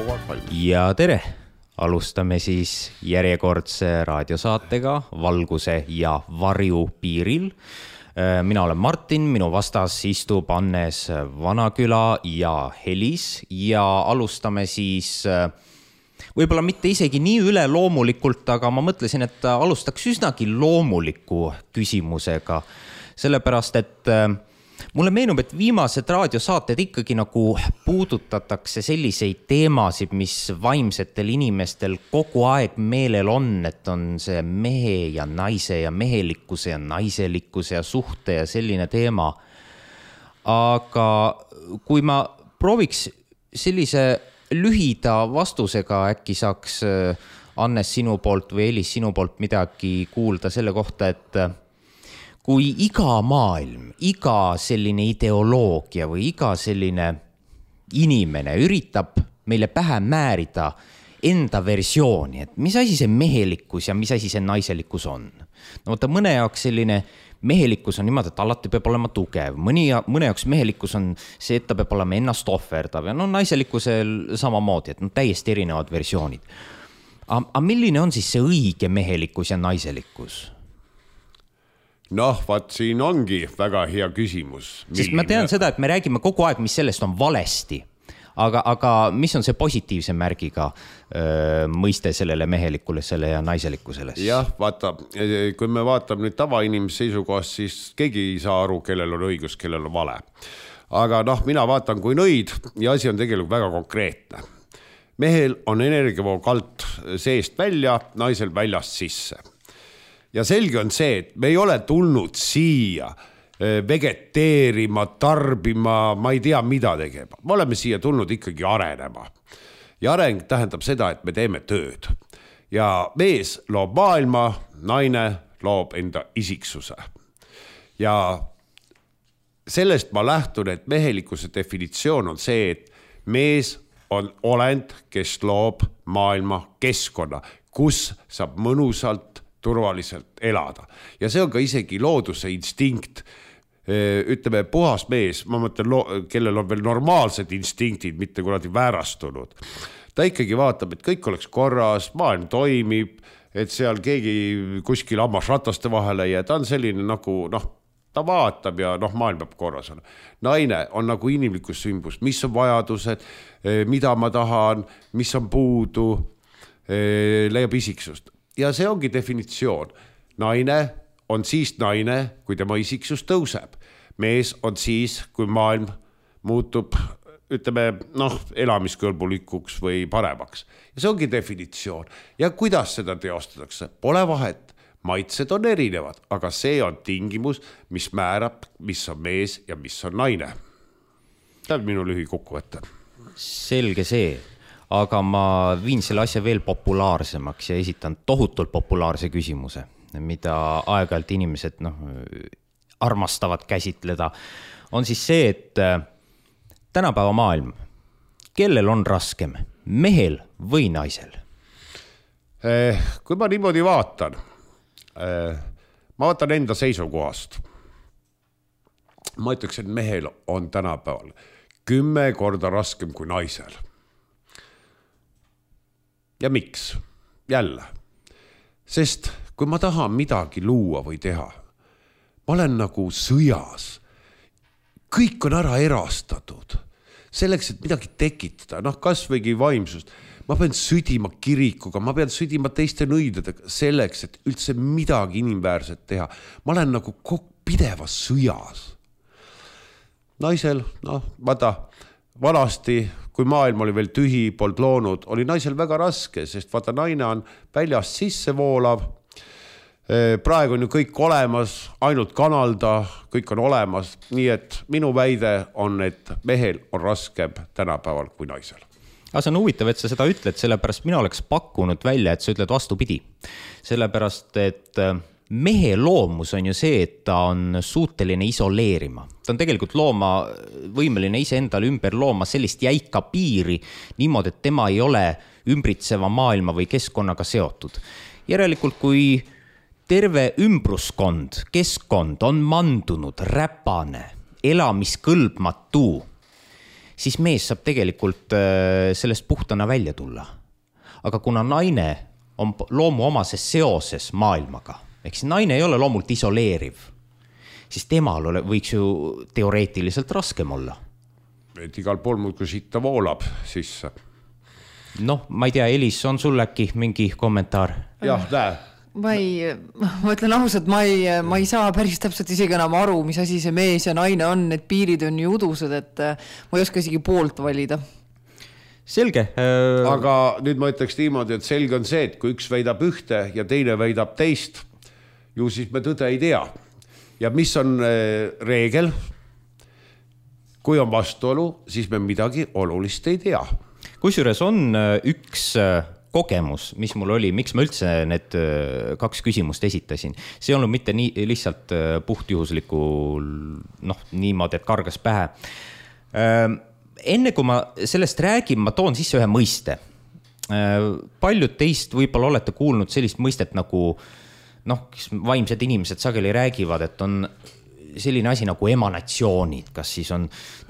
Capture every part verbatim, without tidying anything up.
kogu aeg valmis. Ja tere! Alustame siis järjekordse raadiosaatega Valguse ja varju piiril. Mina olen Martin, minu vastas istub Annes Vanaküla ja Helis ja alustame siis võib-olla mitte isegi nii üle loomulikult, aga ma mõtlesin, et alustaks üsnagi loomuliku küsimusega, sellepärast, et mulle meenub, et viimased raadiosaated ikkagi nagu puudutatakse selliseid teemasid, mis vaimsetel inimestel kogu aeg meelel on, et on see mehe ja naise ja mehelikkuse ja naiselikkuse ja suhte ja selline teema. Aga kui ma prooviks sellise lühida vastusega, äkki saaks Annes sinu poolt või Elis sinu poolt midagi kuulda selle kohta, et kui iga maailm, iga selline ideoloogia või iga selline inimene üritab meile pähe määrida enda versiooni, et mis asi see mehelikkus ja mis asi see naiselikkus on. No võtta mõne jaoks selline mehelikkus on niimoodi, et alati peab olema tugev. Mõni, mõne jaoks mehelikkus on see, et ta peab olema ennast ohverdav ja no naiselikkusel samamoodi, et no täiesti erinevad versioonid. Aga milline on siis see õige mehelikkus ja naiselikkus? Noh, vaat siin ongi väga hea küsimus. Sest ma tean seda, et me räägime kogu aeg, mis sellest on valesti. Aga, aga mis on see positiivse märgiga öö, mõiste sellele mehelikkusele ja naiselikkusele? Jah, vaata, kui me vaatame nüüd tavainimese seisukohast, siis keegi ei saa aru, kellel on õigus, kellel on vale. Aga noh, mina vaatan kui nõid ja asi on tegelikult väga konkreetne. Mehel on energiavoog alt seest välja, naisel väljast sisse. Ja selge on see, et me ei ole tulnud siia vegeteerima, tarbima, ma ei tea mida tegema. Me oleme siia tulnud ikkagi arenema. Ja areng tähendab seda, et me teeme tööd. Ja mees loob maailma, naine loob enda isiksuse. Ja sellest ma lähtun, et mehelikkuse definitsioon on see, et mees on olend, kes loob maailma keskkonna, kus saab mõnusalt turvaliselt elada. Ja see on ka isegi looduse instinkt. Ütleme, puhas mees, ma mõtlen, kellel on veel normaalsed instinktid, mitte kuradi väärastunud. Ta ikkagi vaatab, et kõik oleks korras, maailm toimib, et seal keegi kuskil hammas rataste vahele ja ta on selline nagu, noh, ta vaatab ja noh, maailm peab korras on. Naine on nagu inimlikus sümbus, mis on vajadused, mida ma tahan, mis on puudu, leiab isiksust. Ja see ongi definitsioon. Naine on siis naine, kui tema isiksus tõuseb. Mees on siis, kui maailm muutub, ütleme, noh, elamiskõlbulikuks või paremaks. Ja see ongi definitsioon. Ja kuidas seda teostatakse? Pole vahet. Maitsed on erinevad, aga see on tingimus, mis määrab, mis on mees ja mis on naine. See on minu lühi kokkuvõte. Selge see. Aga ma viin selle asja veel populaarsemaks ja esitan tohutult populaarse küsimuse, mida aeg-ajalt inimesed no, armastavad käsitleda. On siis see, et tänapäeva maailm, kellel on raskem, mehel või naisel? Kui ma niimoodi vaatan, ma vaatan enda seisukohast. Ma ütleks, et mehel on tänapäeval kümme korda raskem kui naisel. Ja miks? Jälle. Sest kui ma tahan midagi luua või teha, ma olen nagu sõjas. Kõik on ära erastatud. Selleks, et midagi tekitada, noh kas võigi vaimsust. Ma pean südima kirikuga, ma pean südima teiste nõidadega selleks, et üldse midagi inimväärset teha. Ma olen nagu pidevas sõjas. Naisel, noh, vaata, vanasti, kui maailm oli veel tühi, pold loonud, oli naisel väga raske, sest vaata naine on väljast sisse voolav. Praegu on ju kõik olemas, ainult kanalda, kõik on olemas. Nii et minu väide on, et mehel on raskem tänapäeval kui naisel. Aga see on huvitav, et sa seda ütled, sellepärast mina oleks pakkunud välja, et sa ütled vastupidi. Sellepärast, et mehe loomus on ju see, et ta on suuteline isoleerima. Ta on tegelikult looma, võimeline ise endale ümber looma sellist jäika piiri niimoodi, et tema ei ole ümbritseva maailma või keskkonnaga seotud. Järelikult, kui terve ümbruskond, keskkond on mandunud, räpane, elamiskõlbmatu, siis mees saab tegelikult sellest puhtana välja tulla. Aga kuna naine on loomuomases seoses maailmaga, ehk siis naine ei ole loomult isoleeriv, siis temal ole, võiks ju teoreetiliselt raskem olla. Et igal pool muud, kui sitta voolab sisse. Noh, ma ei tea, Elis, on sul äkki mingi kommentaar? Jah, näe. Ma ei, ma ütlen ausalt, ma ei, ma ei saa päris täpselt isegi enam aru, mis asi see mees ja naine on, need piirid on ju udused, et ma ei oska isegi poolt valida. Selge. Aga nüüd ma ütleks niimoodi, et selge on see, et kui üks väidab ühte ja teine väidab teist, ju siis me tõde ei tea. Ja mis on reegel? Kui on vastuolu, siis me midagi olulist ei tea. Kusjuures on üks kogemus, mis mul oli, miks ma üldse need kaks küsimust esitasin. See ei olnud mitte nii lihtsalt puhtjuhusliku, noh, niimoodi, et kargas pähe. Enne kui ma sellest räägin, ma toon sisse ühe mõiste. Paljud teist võib-olla olete kuulnud sellist mõistet nagu, noh, vaimsed inimesed sageli räägivad, et on selline asi nagu emanatsioonid, kas siis on,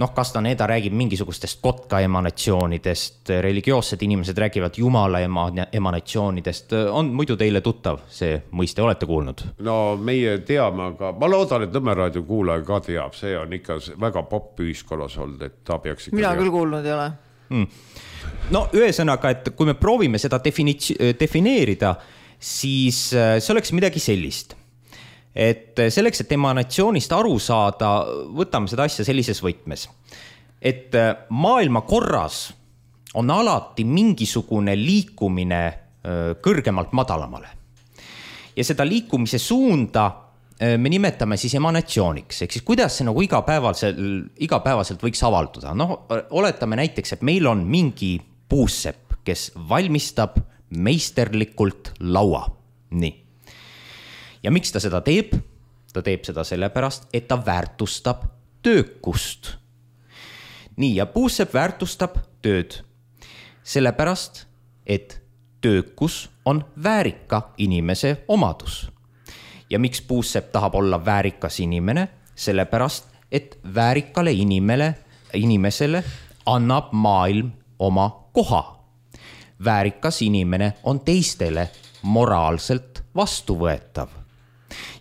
noh, Castaneda räägib mingisugustest kotka emanatsioonidest, religioossed inimesed räägivad Jumala emanatsioonidest, on muidu teile tuttav see mõiste, olete kuulnud? No meie teame, aga ma loodan, et Nõmme raadio kuulaja ka teab, see on ikka väga popp ühiskonnas olnud, et ta peaks ikka mina küll kuulnud ei ole. Hmm. No ühesõnaga, et kui me proovime seda defini- defineerida, siis see oleks midagi sellist. Et selleks, et emanatsioonist aru saada, võtame seda asja sellises võtmes. Et maailma korras on alati mingisugune liikumine kõrgemalt madalamale. Ja seda liikumise suunda me nimetame siis emanatsiooniks. Ehk siis kuidas see nagu igapäevaselt, igapäevaselt võiks avalduda? No, oletame näiteks, et meil on mingi puussepp, kes valmistab meisterlikult laua. Nii. Ja miks ta seda teeb? Ta teeb seda sellepärast, et ta väärtustab töökust. Nii, ja puussepp väärtustab tööd. Sellepärast, et töökus on väärika inimese omadus. Ja miks puussepp tahab olla väärikas inimene? Sellepärast, et väärikale inimele, inimesele annab maailm oma koha. Väärikas inimene on teistele moraalselt vastuvõetav.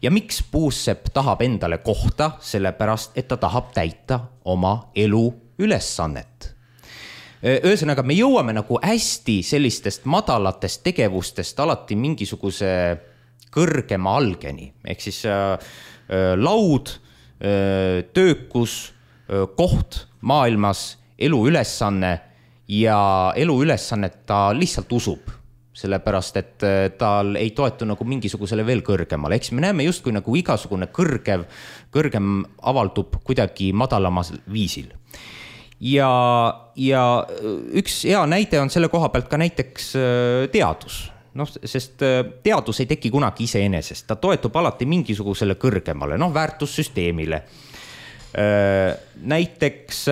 Ja miks puussepp tahab endale kohta? Sellepärast, et ta tahab täita oma elu ülesannet. Ühesõnaga, me jõuame nagu hästi sellistest madalatest tegevustest alati mingisuguse kõrgema algeni. Ehk siis äh, laud, äh, töökus, äh, koht maailmas, elu ülesanne ja elu ülesannet ta lihtsalt usub. Sellepärast, et tal ei toetu nagu mingisugusele veel kõrgemale. Eks me näeme justkui nagu igasugune kõrgev, kõrgem avaldub kuidagi madalamas viisil. Ja, ja üks hea näide on selle koha pealt ka näiteks teadus. No, sest teadus ei teki kunagi iseenesest. Ta toetub alati mingisugusele kõrgemale, noh, väärtussüsteemile. Näiteks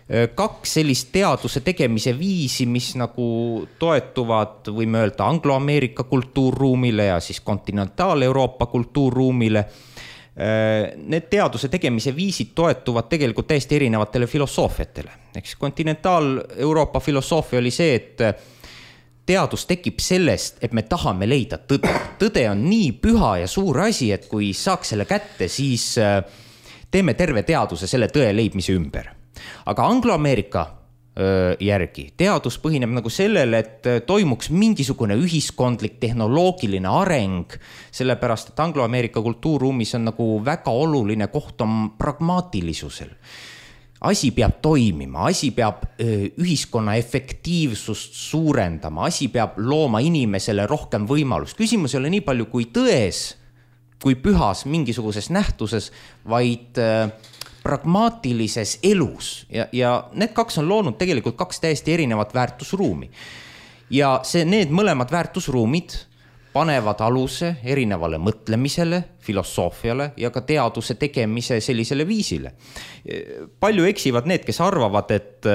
kaks sellist teaduse tegemise viisi, mis nagu toetuvad, võime öelda, Anglo-Ameerika kultuurruumile ja siis kontinentaal-Euroopa kultuurruumile. Need teaduse tegemise viisid toetuvad tegelikult täiesti erinevatele filosoofiatele. Eks kontinentaal-Euroopa filosoofia oli see, et teadus tekib sellest, et me tahame leida tõde. Tõde on nii püha ja suur asi, et kui saaks selle kätte, siis teeme terve teaduse selle tõe leidmise ümber. Aga Anglo-Ameerika järgi teadus põhineb nagu sellele, et toimuks mingisugune ühiskondlik tehnoloogiline areng, sellepärast, et Anglo-Ameerika kultuurruumis on nagu väga oluline koht on pragmaatilisusel. Asi peab toimima, asi peab ühiskonna efektiivsust suurendama, asi peab looma inimesele rohkem võimalust. Küsimus ei ole nii palju kui tões, kui pühas mingisuguses nähtuses, vaid pragmaatilises elus ja, ja need kaks on loonud tegelikult kaks täiesti erinevat väärtusruumi. Ja see, need mõlemad väärtusruumid panevad aluse erinevale mõtlemisele, filosoofiale ja ka teaduse tegemise sellisele viisile. Palju eksivad need, kes arvavad, et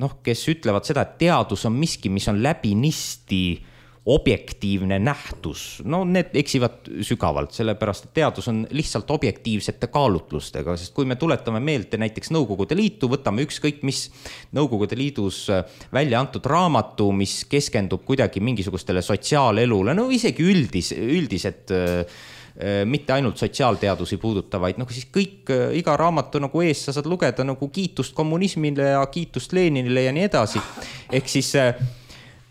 noh, kes ütlevad seda, et teadus on miski, mis on läbinisti objektiivne nähtus, no need eksivad sügavalt, sellepärast et teadus on lihtsalt objektiivsete kaalutlustega, sest kui me tuletame meelde näiteks Nõukogude Liitu, võtame ükskõik mis Nõukogude Liidus välja antud raamatu, mis keskendub kuidagi mingisugustele sotsiaalelule, no isegi üldis, üldised mitte ainult sotsiaalteadusi puudutavaid, noh siis kõik, iga raamatu nagu ees sa saad lugeda nagu kiitust kommunismile ja kiitust Leninile ja nii edasi. Ehk siis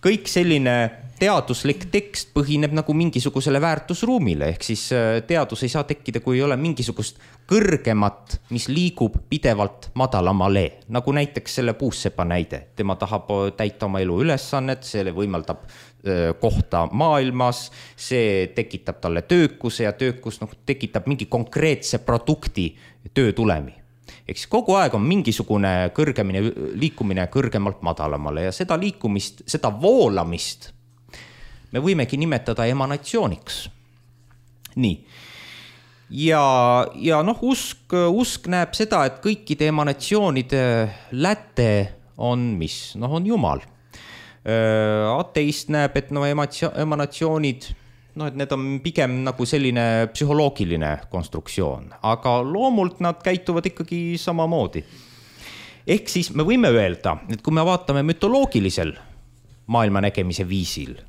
kõik selline teaduslik tekst põhineb nagu mingisugusele väärtusruumile, ehk siis teadus ei saa tekkida, kui ei ole mingisugust kõrgemat, mis liigub pidevalt madalamale, nagu näiteks selle puussepa näide. Tema tahab täita oma elu ülesannet, see võimaldab kohta maailmas, see tekitab talle töökuse ja töökus noh, tekitab mingi konkreetse produkti töötulemi. Eks kogu aeg on mingisugune kõrgemine liikumine kõrgemalt madalamale ja seda liikumist, seda voolamist me võimegi nimetada emanatsiooniks. Nii. Ja, ja noh, usk, usk näeb seda, et kõikide emanatsioonide läte on mis? Noh, on Jumal. Ateist näeb, et no emanatsioonid, no et need on pigem nagu selline psühholoogiline konstruktsioon, aga loomult nad käituvad ikkagi samamoodi. Ehk siis me võime öelda, et kui me vaatame mütoloogilisel maailma nägemise viisil,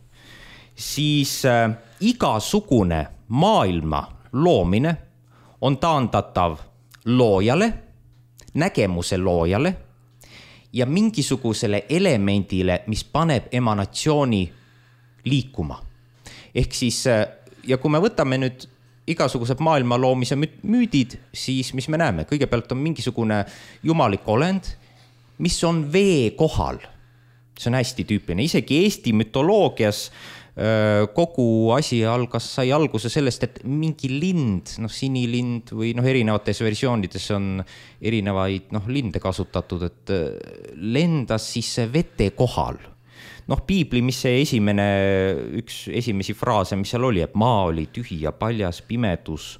siis äh, igasugune maailma loomine on taandatav loojale, nägemuse loojale ja mingisugusele elemendile, mis paneb emanatsiooni liikuma. Ehk siis, ja kui me võtame nüüd igasugused maailma loomise müüdid, siis mis me näeme? Kõigepealt on mingisugune jumalik olend, mis on vee kohal. See on hästi tüüpiline. Isegi Eesti mütoloogias kogu asi algas, sai alguse sellest, et mingi lind, noh sinilind või noh erinevates versioonides on erinevaid noh linde kasutatud, et lendas siis vete kohal. Noh piibli, mis see esimene, üks esimesi fraase, mis seal oli, et maa oli tühi ja paljas, pimedus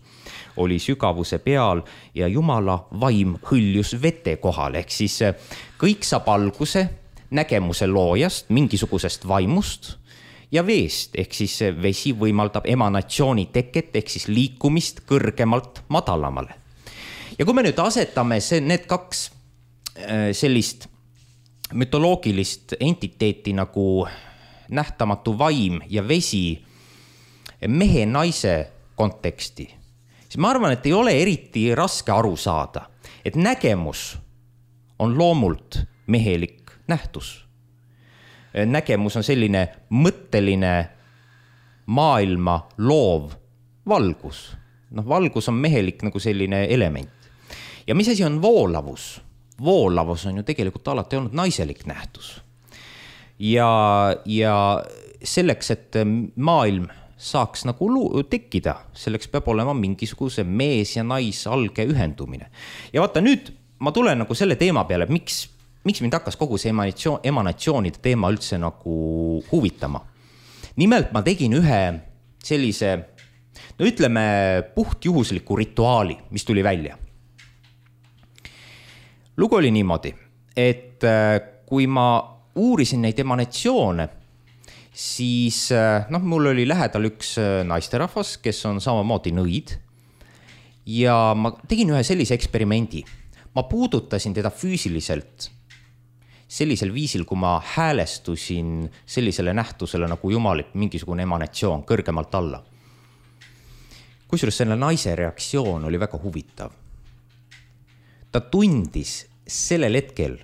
oli sügavuse peal ja Jumala vaim hõljus vete kohal, ehk siis kõik saab alguse nägemuse loojast, mingisugusest vaimust ja veest, ehk siis vesi võimaldab emanatsiooni teket, ehk siis liikumist kõrgemalt madalamale. Ja kui me nüüd asetame see, need kaks sellist mütoloogilist entiteeti nagu nähtamatu vaim ja vesi mehe naise konteksti, siis ma arvan, et ei ole eriti raske aru saada, et nägemus on loomult mehelik nähtus. Nägemus on selline mõtteline maailma loov valgus. Noh, valgus on mehelik nagu selline element. Ja mis asi on voolavus? Voolavus on ju tegelikult alati olnud naiselik nähtus. Ja, ja selleks, et maailm saaks nagu tekkida, selleks peab olema mingisuguse mees ja nais alge ühendumine. Ja vaata nüüd, ma tulen nagu selle teema peale, miks miks mind hakkas kogu see emanatsioon, emanatsioonide teema üldse nagu huvitama. Nimelt ma tegin ühe sellise, no ütleme, puhtjuhusliku rituaali, mis tuli välja. Lugu oli niimoodi, et kui ma uurisin neid emanatsioone, siis noh, mul oli lähedal üks naisterahvas, kes on samamoodi nõid ja ma tegin ühe sellise eksperimendi. Ma puudutasin teda füüsiliselt sellisel viisil, kui ma häälestusin sellisele nähtusele nagu jumalik, mingisugune emanatsioon kõrgemalt alla. Kusjuures selle naise reaktsioon oli väga huvitav. Ta tundis sellel hetkel,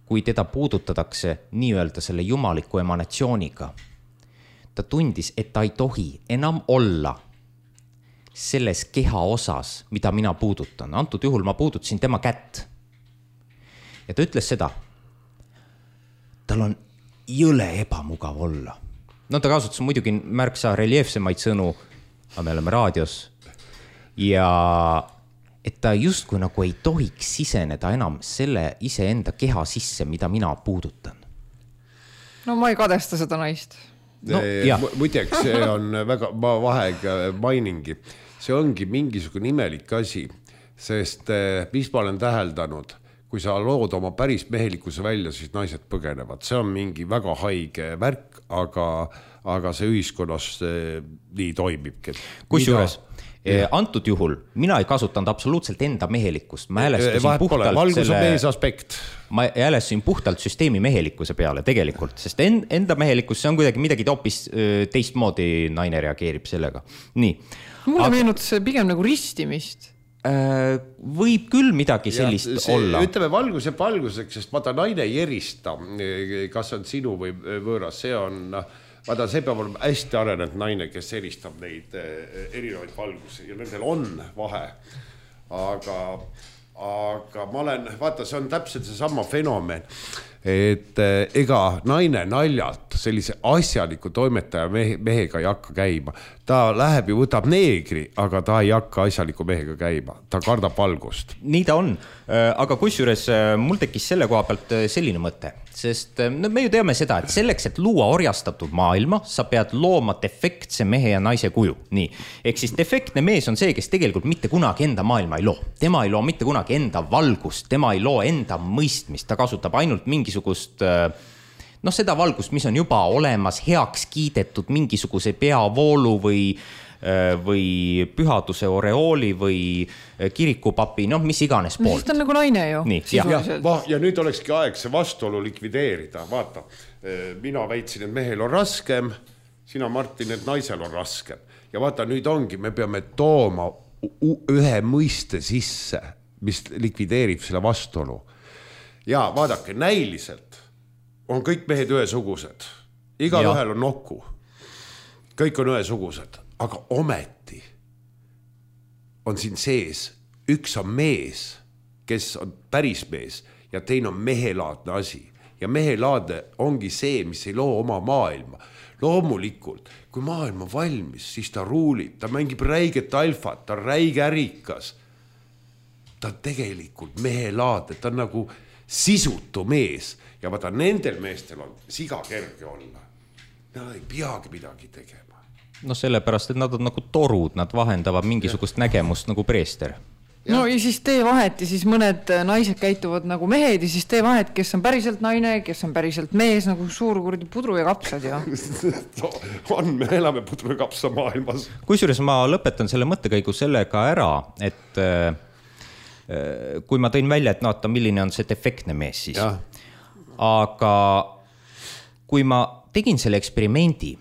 kui teda puudutatakse nii-öelda selle jumaliku emanatsiooniga, ta tundis, et ta ei tohi enam olla selles keha osas, mida mina puudutan. Antud juhul ma puudutasin tema kätt. Ja ta ütles seda, tal on jõle ebamugav olla. No ta kasutas muidugi märksa reljeefsemaid sõnu, aga me oleme raadios. Ja et ta justkui nagu ei tohiks siseneda enam selle iseenda keha sisse, mida mina puudutan. No ma ei kadesta seda naist. No, muideks, see on väga, ma vahega mainingi, see ongi mingisugune imelik asi, sest mis ma olen täheldanud, kui sa lood oma päris mehelikkuse välja, siis naised põgenevad. See on mingi väga haige värk, aga, aga see ühiskonnas nii toimibki. Kusjuures antud juhul mina ei kasutanud absoluutselt enda mehelikkust. Ma häälestasin puhtalt valgus on mees aspekt. Ma häälestasin puhtalt süsteemi mehelikkuse peale tegelikult, sest enda mehelikkus, see on kuidagi midagi hoopis teistmoodi naine reageerib sellega. Nii. Mulle aga... meenutas pigem nagu ristimist. Võib küll midagi sellist see, olla. Ütleme valguse valguseks, sest vaata naine ei erista, kas on sinu või võõras, see on, vaata see peab olema hästi arenenud naine, kes eristab neid erinevaid valgusi ja nendel on vahe, aga, aga ma olen, vaata see on täpselt see sama fenomen, et ega naine naljalt sellise asjaliku toimetaja mehe, mehega ei hakka käima. Ta läheb ja võtab neegri, aga ta ei hakka asjaliku mehega käima. Ta kardab valgust. Nii ta on. Aga kusjuures mul tekkis selle koha pealt selline mõte, sest no, me ju teame seda, et selleks, et luua orjastatud maailma, sa pead looma defektse mehe ja naise kuju. Nii. Ehk siis defektne mees on see, kes tegelikult mitte kunagi enda maailma ei loo. Tema ei loo mitte kunagi enda valgust, tema ei loo enda mõistmist, ta kasutab ainult mingisugust noh, seda valgust, mis on juba olemas, heaks kiidetud mingisuguse peavoolu või, või pühaduse oreooli või kirikupapi, noh, mis iganes poolt. No, siis ta on nagu naine ju. Nii, ja, ja nüüd olekski aeg see vastuolu likvideerida. Vaata, mina väitsin, et mehel on raskem, sina, Martin, et naisel on raskem. Ja vaata, nüüd ongi, me peame tooma ühe mõiste sisse, mis likvideerib selle vastuolu. Ja vaadake, näiliselt on kõik mehed ühesugused. Igal ühel on nokku. Kõik on ühesugused. Aga ometi on siin sees. Üks on mees, kes on päris mees ja teine on mehelaadne asi. Ja mehelaadne ongi see, mis ei loo oma maailma. Loomulikult, kui maailm on valmis, siis ta ruulib. Ta mängib räiget alfat, ta on räige ärikas. Ta on tegelikult mehelaadne. Ta on nagu sisutu mees. Ja vaata, nendel meestel on siga kerge olla. Nad ei peagi midagi tegema. No sellepärast, et nad on nagu torud, nad vahendavad mingisugust ja. Nägemust nagu preester. Ja. No ja siis tee vahet ja siis mõned naised käituvad nagu mehed ja siis tee vahet, kes on päriselt naine, kes on päriselt mees, nagu suur kurdi pudru ja kapsad. Ja. on, me elame pudru ja kapsa maailmas. Kusjuures ma lõpetan selle mõttekäigu sellega ära, et kui ma tõin välja, et naata, milline on see defektne mees siis. Ja. Aga kui ma tegin selle eksperimendi,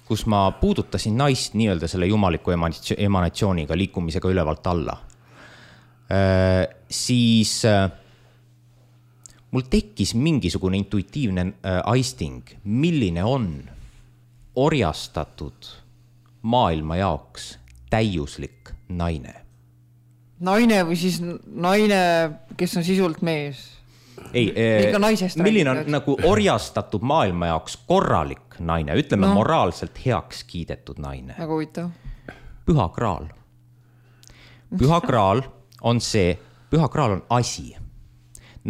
kus ma puudutasin naist nii-öelda selle jumaliku emanatsiooniga, liikumisega ülevalt alla, siis mul tekkis mingisugune intuitiivne aisting, milline on orjastatud maailma jaoks täiuslik naine. Naine või siis naine, kes on sisult mees? Ei, milline on nagu orjastatud maailma jaoks korralik naine, ütleme no. moraalselt heaks kiidetud naine. Väga huvitav. Püha kraal. Püha kraal on see, püha kraal on asi.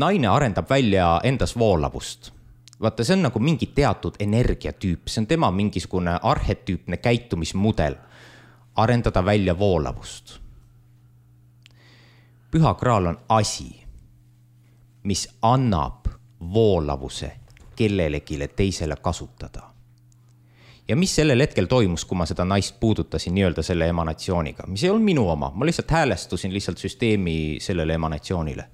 Naine arendab välja endas voolavust. Vaata, see on nagu mingi teatud energiatüüp, see on tema mingisugune arhetüüpne käitumismudel. Arendada välja voolavust. Püha kraal on asi, mis annab voolavuse kellelegile teisele kasutada. Ja mis sellel hetkel toimus, kui ma seda naist puudutasin nii-öelda selle emanatsiooniga, mis ei olnud minu oma, ma lihtsalt häälestusin lihtsalt süsteemi sellele emanatsioonile.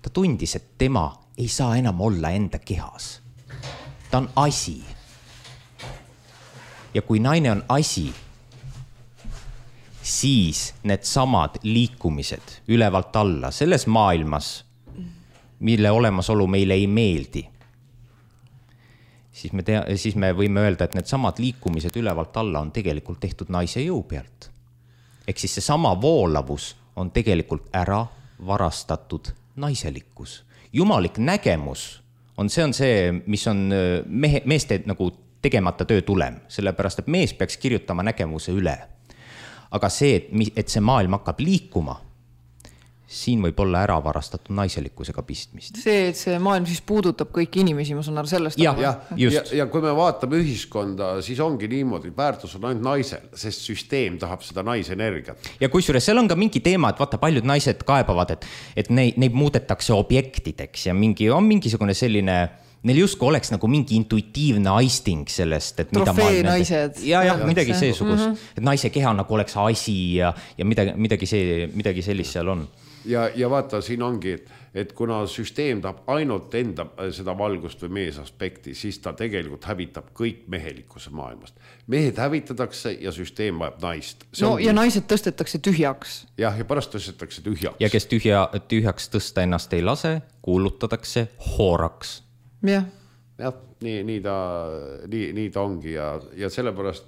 Ta tundis, et tema ei saa enam olla enda kehas. Ta on asi. Ja kui naine on asi, siis need samad liikumised ülevalt alla selles maailmas, mille olemasolu meile ei meeldi, siis me, tea, siis me võime öelda, et need samad liikumised ülevalt alla on tegelikult tehtud naise jõu pealt. Ehk siis see sama voolavus on tegelikult ära varastatud naiselikkus. Jumalik nägemus on see, on see mis on mehe, meeste nagu tegemata töö tulem, sellepärast, et mees peaks kirjutama nägemuse üle. Aga see, et, et see maailm hakkab liikuma, siin võib olla ära varastatud naiselikkusega pistmist. See, et see maailm siis puudutab kõiki inimesi, ma saan aru sellest. Ja, ja, ja, ja kui me vaatame ühiskonda, siis ongi niimoodi, väärtus on ainult naisel, sest süsteem tahab seda naisenergiat. Ja kusjuures seal on ka mingi teema, et vaata, paljud naised kaebavad, et, et neid, neid muudetakse objektideks ja mingi, on mingisugune selline... Neil justkui oleks nagu mingi intuitiivne aisting sellest, et mida trofee naised. Ja, ja, midagi seesugust. Mm -hmm. Et naise keha nagu oleks asi ja, ja midagi, midagi, see, midagi sellist seal on. Ja, ja vaata, siin ongi, et, et kuna süsteem tahab ainult enda seda valgust või meesaspekti, siis ta tegelikult hävitab kõik mehelikkuse maailmast. Mehed hävitatakse ja süsteem vajab naist. See no ongi... ja naised tõstetakse tühjaks. Jah, ja pärast tõstetakse tühjaks. Ja kes tühja, tühjaks tõsta ennast ei lase, kuulutatakse hooraks. jah, jah, nii, nii, ta, nii, nii ta ongi ja, ja sellepärast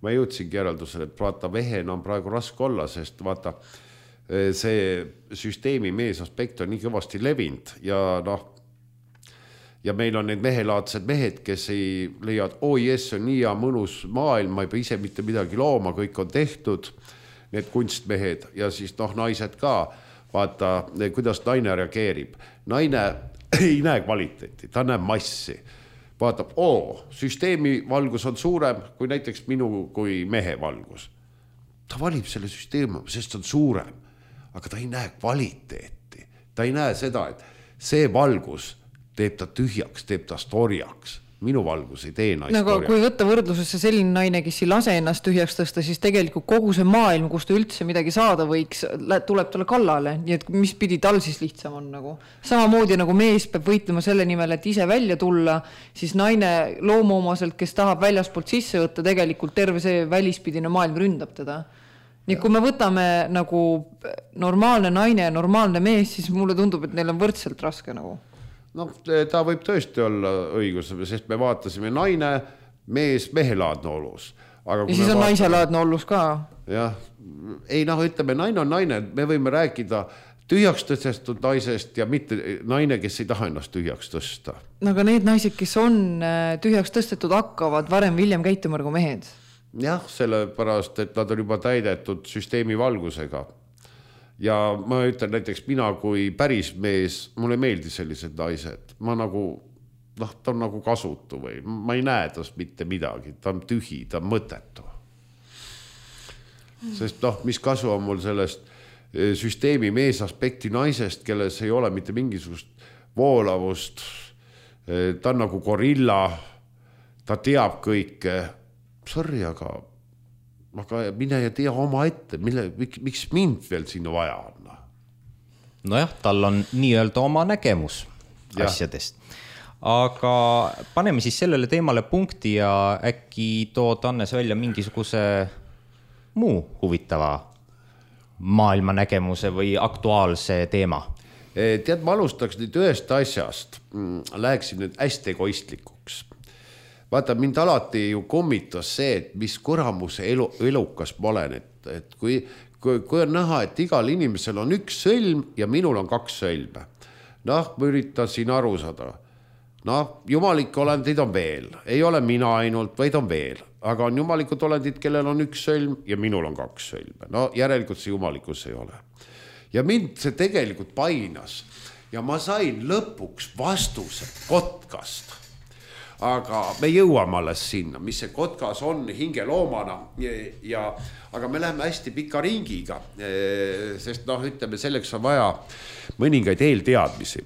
ma jõudsingi järeldusele, et vaata, vehena on praegu raske olla, sest vaata, see süsteemi meesaspekt on nii kõvasti levinud ja noh, ja meil on need mehelaadsed mehed, kes ei leiad, oi jess, on nii ja mõnus maailm, ma ei pea ise mitte midagi looma, kõik on tehtud, need kunstmehed ja siis noh, naised ka, vaata, kuidas naine reageerib. Naine ei näe kvaliteeti, ta näeb massi. Vaatab, oo, süsteemi valgus on suurem kui näiteks minu kui mehe valgus. Ta valib selle süsteemi, sest on suurem, aga ta ei näe kvaliteeti. Ta ei näe seda, et see valgus teeb ta tühjaks, teeb ta storjaks. Minu valgus ei tee naist nagu, kui võtta võrdlusesse selline naine, kes ei lase ennast tühjaks tõsta, siis tegelikult kogu see maailm, kus ta üldse midagi saada võiks, tuleb talle kallale, nii et mis pidi tal siis lihtsam on nagu. Samamoodi nagu mees peab võitlema selle nimel, et ise välja tulla, siis naine loomoomaselt, kes tahab väljaspoolt sisse võtta, tegelikult terve see välispidine maailm ründab teda. Nii kui me võtame nagu normaalne naine ja normaalne mees, siis mulle tundub, et neil on võrdselt raske nagu. No, ta võib tõesti olla õigus, sest me vaatasime naine, mees, mehelaadne olus. Aga ja siis on vaatame... naiselaadne olus ka. Jah, ei noh, ütleme, naine on naine, me võime rääkida tühjaks tõstetud naisest ja mitte naine, kes ei taha ennast tühjaks tõsta. No aga need naised, kes on tühjaks tõstetud, hakkavad varem viljem käituma nagu mehed. Jah, sellepärast, et nad on juba täidetud süsteemi valgusega. Ja ma ütlen näiteks mina kui päris mees, mulle meeldi sellised naised. Ma nagu, noh, ta on nagu kasutu või ma ei näe tast mitte midagi. Ta on tühi, ta on mõttetu. Sest noh, mis kasu on mul sellest süsteemi meesaspekti naisest, kelles ei ole mitte mingisugust voolavust. Ta on nagu gorilla, ta teab kõike. Sorry, aga... aga mine ja tea oma ette, mille, miks mind veel sinna vaja on? Nojah, tal on nii-öelda oma nägemus ja. Asjadest. Aga paneme siis sellele teemale punkti ja äkki tood Annes välja mingisuguse muu huvitava maailma nägemuse või aktuaalse teema. Tead, ma alustaks nüüd ühest asjast. Läheksin nüüd hästi egoistlikuks. Vaata, mind alati ju kommitas see, et mis kuramuse elu, elukas ma olen, et, et kui, kui, kui on näha, et igal inimesel on üks sõlm ja minul on kaks sõlme. Noh, ma üritasin aru saada. Noh, jumalikke olendid on veel. Ei ole mina ainult, vaid on veel. Aga on jumalikud olendid, kellel on üks sõlm ja minul on kaks sõlme. No järelikult see jumalikus ei ole. Ja mind see tegelikult painas. Ja ma sain lõpuks vastuse kotkast. Aga me jõuame alles sinna, mis see kotkas on hingeloomana ja, ja, aga me läheme hästi pika ringiga, sest noh, ütleme, selleks on vaja mõningaid eelteadmisi.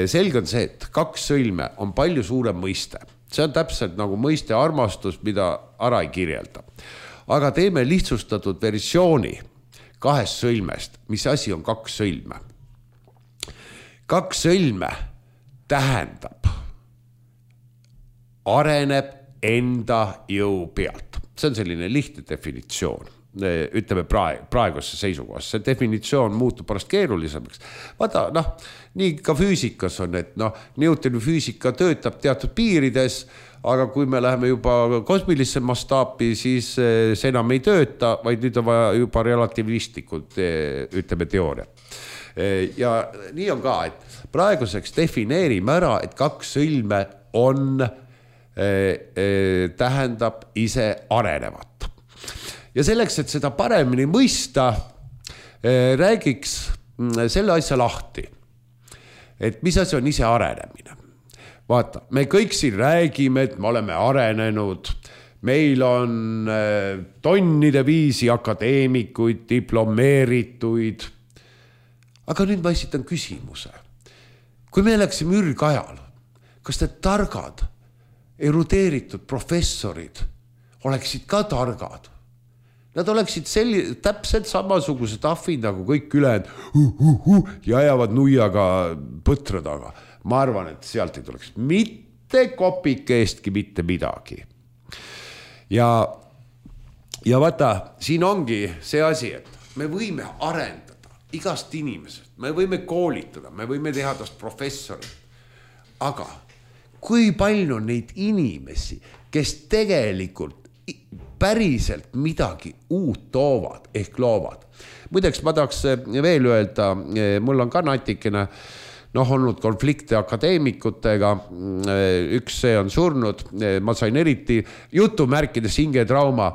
Selge on see, et kaks sõlme on palju suurem mõiste. See on täpselt nagu mõiste armastus, mida ära ei kirjelda. Aga teeme lihtsustatud versiooni kahest sõlmest, mis asi on kaks sõlme. Kaks sõlme tähendab areneb enda jõu pealt. See on selline lihtne definitsioon, ütleme praegu, praeguse seisukohast. See definitsioon muutub pärast keerulisemaks. Vaata, noh, nii ka füüsikas on, et noh, Newtoni füüsika töötab teatud piirides, aga kui me läheme juba kosmilisse mastaapi, siis see enam ei tööta, vaid nüüd on vaja juba relatiivistlikult, ütleme, teooria. Ja nii on ka, et praeguseks defineerime ära, et kaks sõlme on tähendab ise arenevat. Ja selleks, et seda paremini mõista, räägiks selle asja lahti, et mis asi on ise arenemine. Vaata, me kõik siin räägime, et me oleme arenenud, meil on tonnide viisi akadeemikuid, diplomeerituid. Aga nüüd ma esitan küsimuse. Kui me läksime ürgajal, kas need targad, erudeeritud professorid oleksid ka targad? Nad oleksid selli, täpselt samasugused ahvid nagu kõik ülejäänud uh, uh, uh, ja ajavad nuiaga põtra taga. Ma arvan, et sealt ei tuleks mitte kopike eestki mitte midagi. Ja, ja vaata, siin ongi see asi, et me võime arendada igast inimesest, me võime koolitada, me võime teha tast professorit. Aga kui palju on neid inimesi, kes tegelikult päriselt midagi uut toovad ehk loovad. Muideks ma tahaks veel öelda, mul on ka natikene noh, olnud konflikte akadeemikutega, üks see on surnud, ma sain eriti jutumärkides hingetrauma,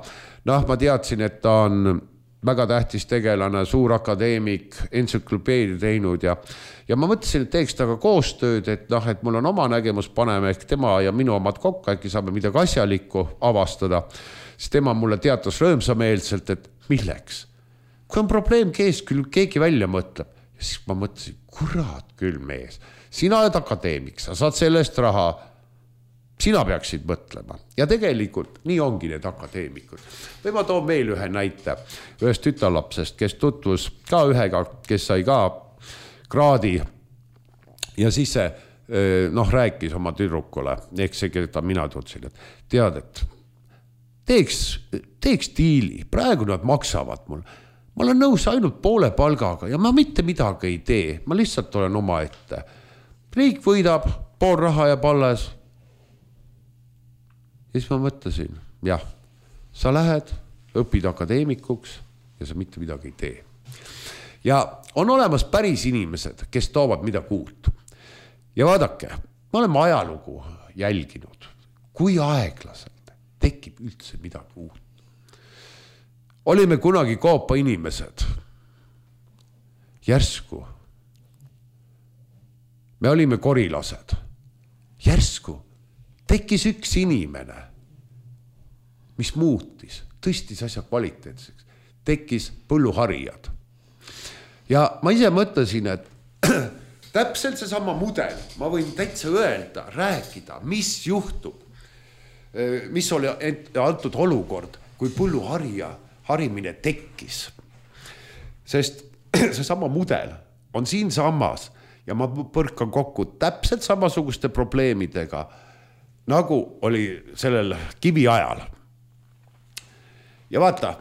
noh ma teadsin, et ta on väga tähtis tegelane, suur akadeemik, entsüklopeedia teinud ja, ja ma mõtlesin, et teeks taga koostööd, et, noh, et mul on oma nägemus, paneme ehk tema ja minu omad kokku, äkki saame midagi asjalikku avastada. Siis tema mulle teatas rõõmsameelselt, et milleks? Kui on probleem kees, küll keegi välja mõtleb. Ja siis ma mõtlesin, kurat küll mees, sina oled akadeemik, sa saad sellest raha, sina peaksid mõtlema. Ja tegelikult nii ongi need akadeemikud. Või ma toon veel ühe näite ühest tütarlapsest, kes tutvus ka ühega, kes sai ka kraadi ja siis see noh, rääkis oma tüdrukule, ehk see, keda mina tutsin, et tead, et Teeks, teeks diili, praegu nad maksavad mul. Ma olen nõus ainult poole palgaga ja ma mitte midagi ei tee. Ma lihtsalt olen oma ette. Riik võidab, pool raha ja alles. Ja siis ma mõtlesin, jah, sa lähed, õpid akadeemikuks ja sa mitte midagi ei tee. Ja on olemas päris inimesed, kes toovad midagi uut. Ja vaadake, me oleme ajalugu jälginud. Kui aeglased tekib üldse midagi uut. Olime kunagi Koopa inimesed. Järsku. Me olime korilased. Järsku tekkis üks inimene, mis muutis, tõstis asja kvaliteetseks. Tekkis põlluharijad. Ja ma ise mõtlesin, et täpselt see sama mudel, ma võin täitsa öelda, rääkida, mis juhtub. Mis oli antud olukord, kui põlluharija harimine tekkis. Sest see sama mudel on siin sammas ja ma põrkan kokku täpselt samasuguste probleemidega, nagu oli sellel kivi ajal. Ja vaata,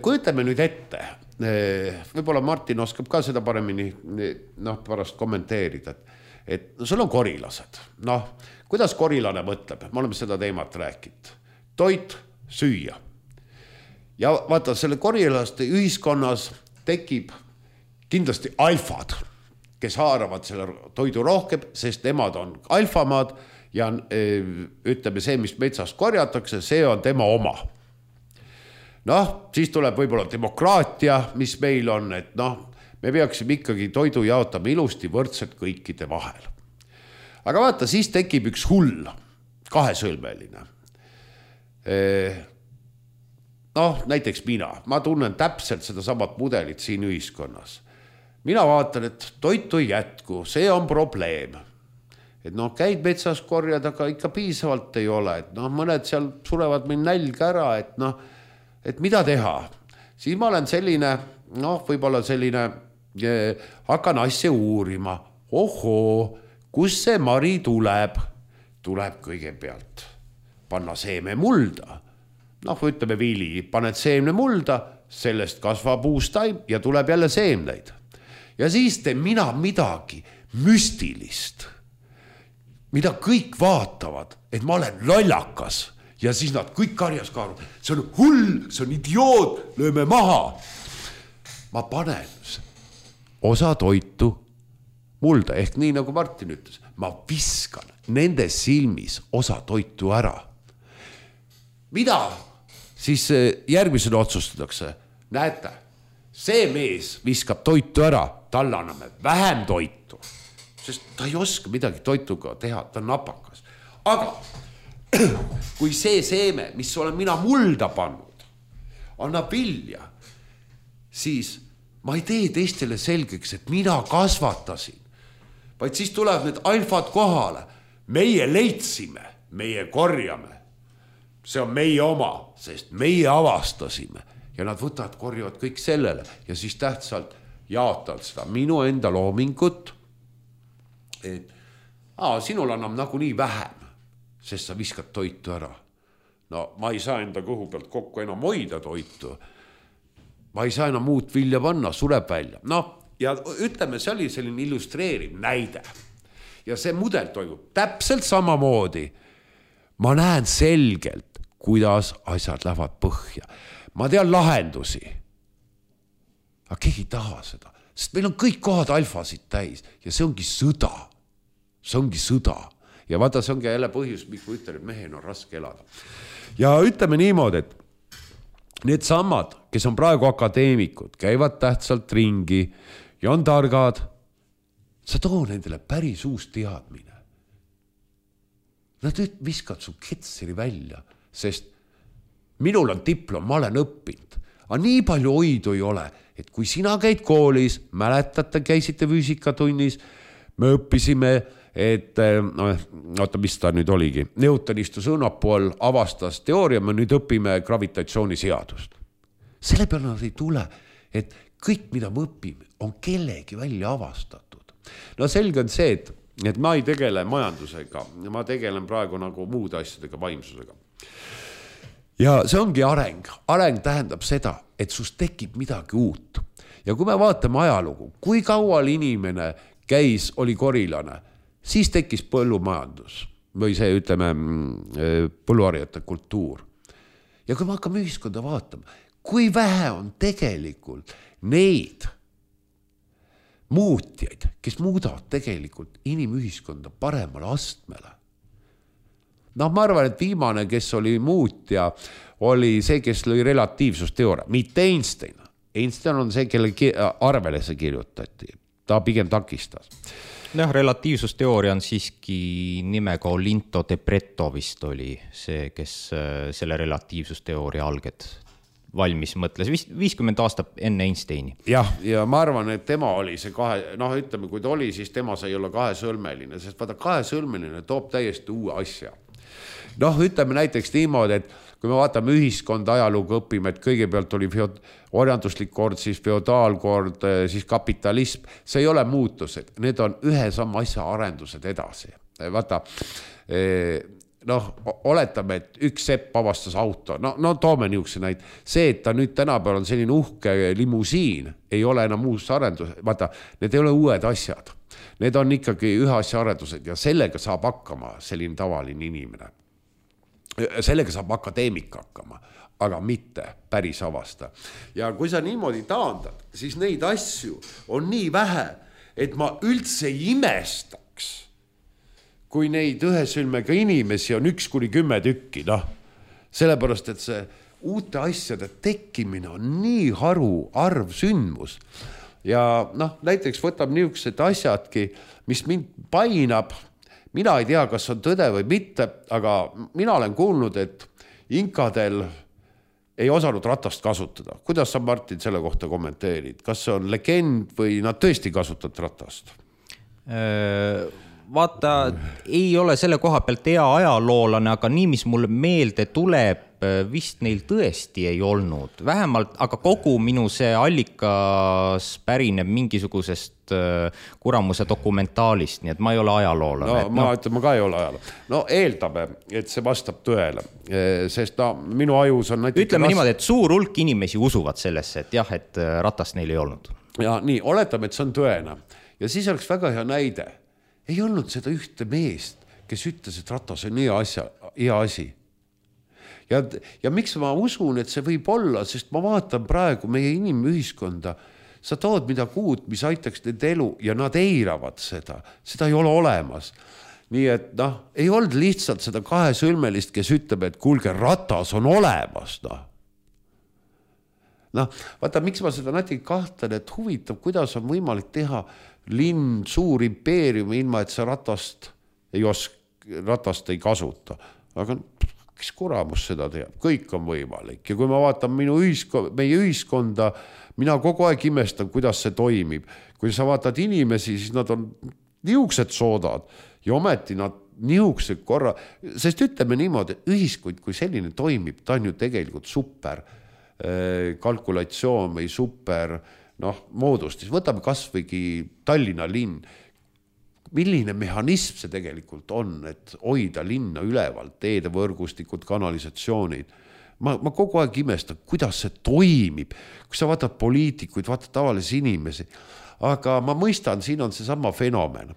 kujutame nüüd ette, võib-olla Martin oskab ka seda paremini noh, pärast kommenteerida, et, et no, sul on korilased, noh, kuidas korilane mõtleb? Me oleme seda teemat rääkinud. Toit, süüa. Ja vaata, selle korilaste ühiskonnas tekib kindlasti alfad, kes haaravad selle toidu rohkem, sest nemad on alfamaad ja ütleme see, mis metsast korjatakse, see on tema oma. Noh, siis tuleb võib-olla demokraatia, mis meil on, et noh, me peaksime ikkagi toidu jaotama ilusti võrdselt kõikide vahel. Aga vaata, siis tekib üks hull, kahesõlmeline. Noh, näiteks mina, ma tunnen täpselt seda samat mudelit siin ühiskonnas. Mina vaatan, et toitu ei jätku, see on probleem. Et noh, käid metsas korjad, aga ikka piisavalt ei ole. Et noh, mõned seal surevad meil nälg ära, et noh, et mida teha. Siis ma olen selline, noh, võib-olla selline, hakkan asja uurima. Ohoo, kus see mari tuleb? Tuleb kõigepealt panna seeme mulda. Noh, ütleme vili, paned seemne mulda, sellest kasvab uus taim ja tuleb jälle seemneid. Ja siis teen mina midagi müstilist, mida kõik vaatavad, et ma olen lollakas ja siis nad kõik karjas kaaruvad. See on hull, see on idioot, lööme maha. Ma panen osa toitu mulda, ehk nii nagu Martin ütles, ma viskan nende silmis osa toitu ära. Mida siis järgmisena otsustatakse? Näete, see mees viskab toitu ära, talle anname vähem toitu, sest ta ei oska midagi toituga teha, ta on napakas. Aga kui see seeme, mis olen mina mulda pannud, annab vilja, siis ma ei tee teistele selgeks, et mina kasvatasin, vaid siis tulevad need alfad kohale. Meie leidsime, meie korjame. See on meie oma, sest meie avastasime. Ja nad võtavad, korjavad kõik sellele ja siis tähtsalt jaotavad seda minu enda loomingut, et aa, sinul annab nagu nii vähem, sest sa viskad toitu ära. No ma ei saa enda kõhu pealt kokku enam hoida toitu. Ma ei saa enam muud vilja panna, sureb välja. No ja ütleme, see oli selline illustreeriv näide. Ja see mudel toimub täpselt samamoodi. Ma näen selgelt, kuidas asjad lähevad põhja. Ma tean lahendusi. Aga keegi ei taha seda. Sest meil on kõik kohad alfasid täis ja see ongi sõda. See ongi sõda. Ja vaata, see ongi jälle põhjus, miks ma ütlen, et mehel on raske elada. Ja ütleme niimoodi, et need sammad, kes on praegu akadeemikud, käivad tähtsalt ringi ja on targad, sa too nendele päris uus teadmine. Nad viskad su ketseri välja, sest minul on diplom, ma olen õppinud. Aga nii palju hoidu ei ole, et kui sina käid koolis, mäletate, käisite füüsikatunnis, me õppisime, et no, oota, mis ta nüüd oligi, Newton istus õunapool, avastas teooria, me nüüd õpime gravitatsiooniseadust. Selle peale nad ei tule, et kõik, mida me õpime, on kellegi välja avastatud. No selge on see, et, et ma ei tegele majandusega, ma tegelen praegu nagu muude asjadega, vaimsusega. Ja see ongi areng. Areng tähendab seda, et sust tekib midagi uut. Ja kui me vaatame ajalugu, kui kaual inimene käis, oli korilane, siis tekkis põllumajandus või see, ütleme, põlluharjate kultuur. Ja kui me hakkame ühiskonda vaatama, kui vähe on tegelikult neid muutjaid, kes muudavad tegelikult inimühiskonda paremale astmele. No ma arvan, et viimane, kes oli muutja, oli see, kes lõi relatiivsusteooria, mitte Einstein. Einstein on see, kelle arvele see kirjutati. Ta pigem takistas. No, relatiivsusteooria on siiski nimega Olinto de Pretto vist oli see, kes selle relatiivsusteooria alged valmis mõtles, viiskümmend aastat enne Einsteini. Jah, ja ma arvan, et tema oli see kahe, noh ütleme, kui ta oli, siis tema sai olla kahesõlmeline, sest vaata kahesõlmeline toob täiesti uue asja. Noh, ütleme näiteks niimoodi, et kui me vaatame ühiskonda ajalugu õpime, et kõigepealt oli orjanduslik kord, siis feodaalkord, siis kapitalism, see ei ole muutused, need on ühe sama asja arendused edasi. Vaata, noh, oletame, et üks sepp avastas auto, no, no toome niisuguse näid, see, et ta nüüd tänapäeval on selline uhke limusiin, ei ole enam uus arendus, vaata, need ei ole uued asjad, need on ikkagi ühe asja arendused ja sellega saab hakkama selline tavaline inimene. Sellega saab akadeemik hakkama, aga mitte päris avasta. Ja kui sa niimoodi taandad, siis neid asju on nii vähe, et ma üldse ei imestaks, kui neid ühesülmega inimesi on üks kuni kümme tükki, noh, sellepärast, et see uute asjade tekkimine on nii haru arv sündmus. Ja noh, näiteks võtab niisugused asjadki, mis mind painab, mina ei tea, kas on tõde või mitte, aga mina olen kuulnud, et inkadel ei osanud ratast kasutada. Kuidas sa, Martin, selle kohta kommenteerid? Kas see on legend või nad tõesti kasutavad ratast? Vaata, ei ole selle koha pealt hea ajaloolane, aga nii, mis mulle meelde tuleb, vist neil tõesti ei olnud. Vähemalt, aga kogu minu see allikas pärineb mingisugusest kuramuse dokumentaalist, nii et ma ei ole ajaloolane. No, ma no. ütlen, ma ka ei ole ajaloolane. No eeldame, et see vastab tõele, sest no, minu ajus on näiteks... Ütleme ras... niimoodi, et suur hulk inimesi usuvad sellesse, et jah, et ratast neil ei olnud. Ja nii, oletame, et see on tõena. Ja siis oleks väga hea näide. Ei olnud seda ühte meest, kes ütles, et ratas on hea, asja, hea asi. Ja, ja miks ma usun, et see võib olla, sest ma vaatan praegu meie inimühiskonda, sa tood midagi uut, mis aitaks need elu ja nad eiravad seda, seda ei ole olemas. Nii et noh, ei olnud lihtsalt seda kahesõlmelist, kes ütleb, et kuulge, ratas on olemas. Noh. noh, vaata, miks ma seda natuke kahtlen, et huvitav, kuidas on võimalik teha linn, suur impeerium, ilma et sa ratast ei osk, ratast ei kasuta. Aga kes kuramus seda teab, kõik on võimalik. Ja kui ma vaatan minu ühiskond, meie ühiskonda, mina kogu aeg imestan, kuidas see toimib. Kui sa vaatad inimesi, siis nad on niuksed soodad ja ometi nad niuksed korra, sest ütleme niimoodi, ühiskond, kui selline toimib, ta on ju tegelikult super kalkulatsioon või super noh, moodustis. Võtame kasvõigi Tallinna linn. Milline mehhanism see tegelikult on, et hoida linna üleval, teede võrgustikud, kanalisatsioonid. Ma, ma kogu aeg imestan, kuidas see toimib, kui sa vaatad poliitikuid, vaatad tavalisi inimesi. Aga ma mõistan, siin on see sama fenomen,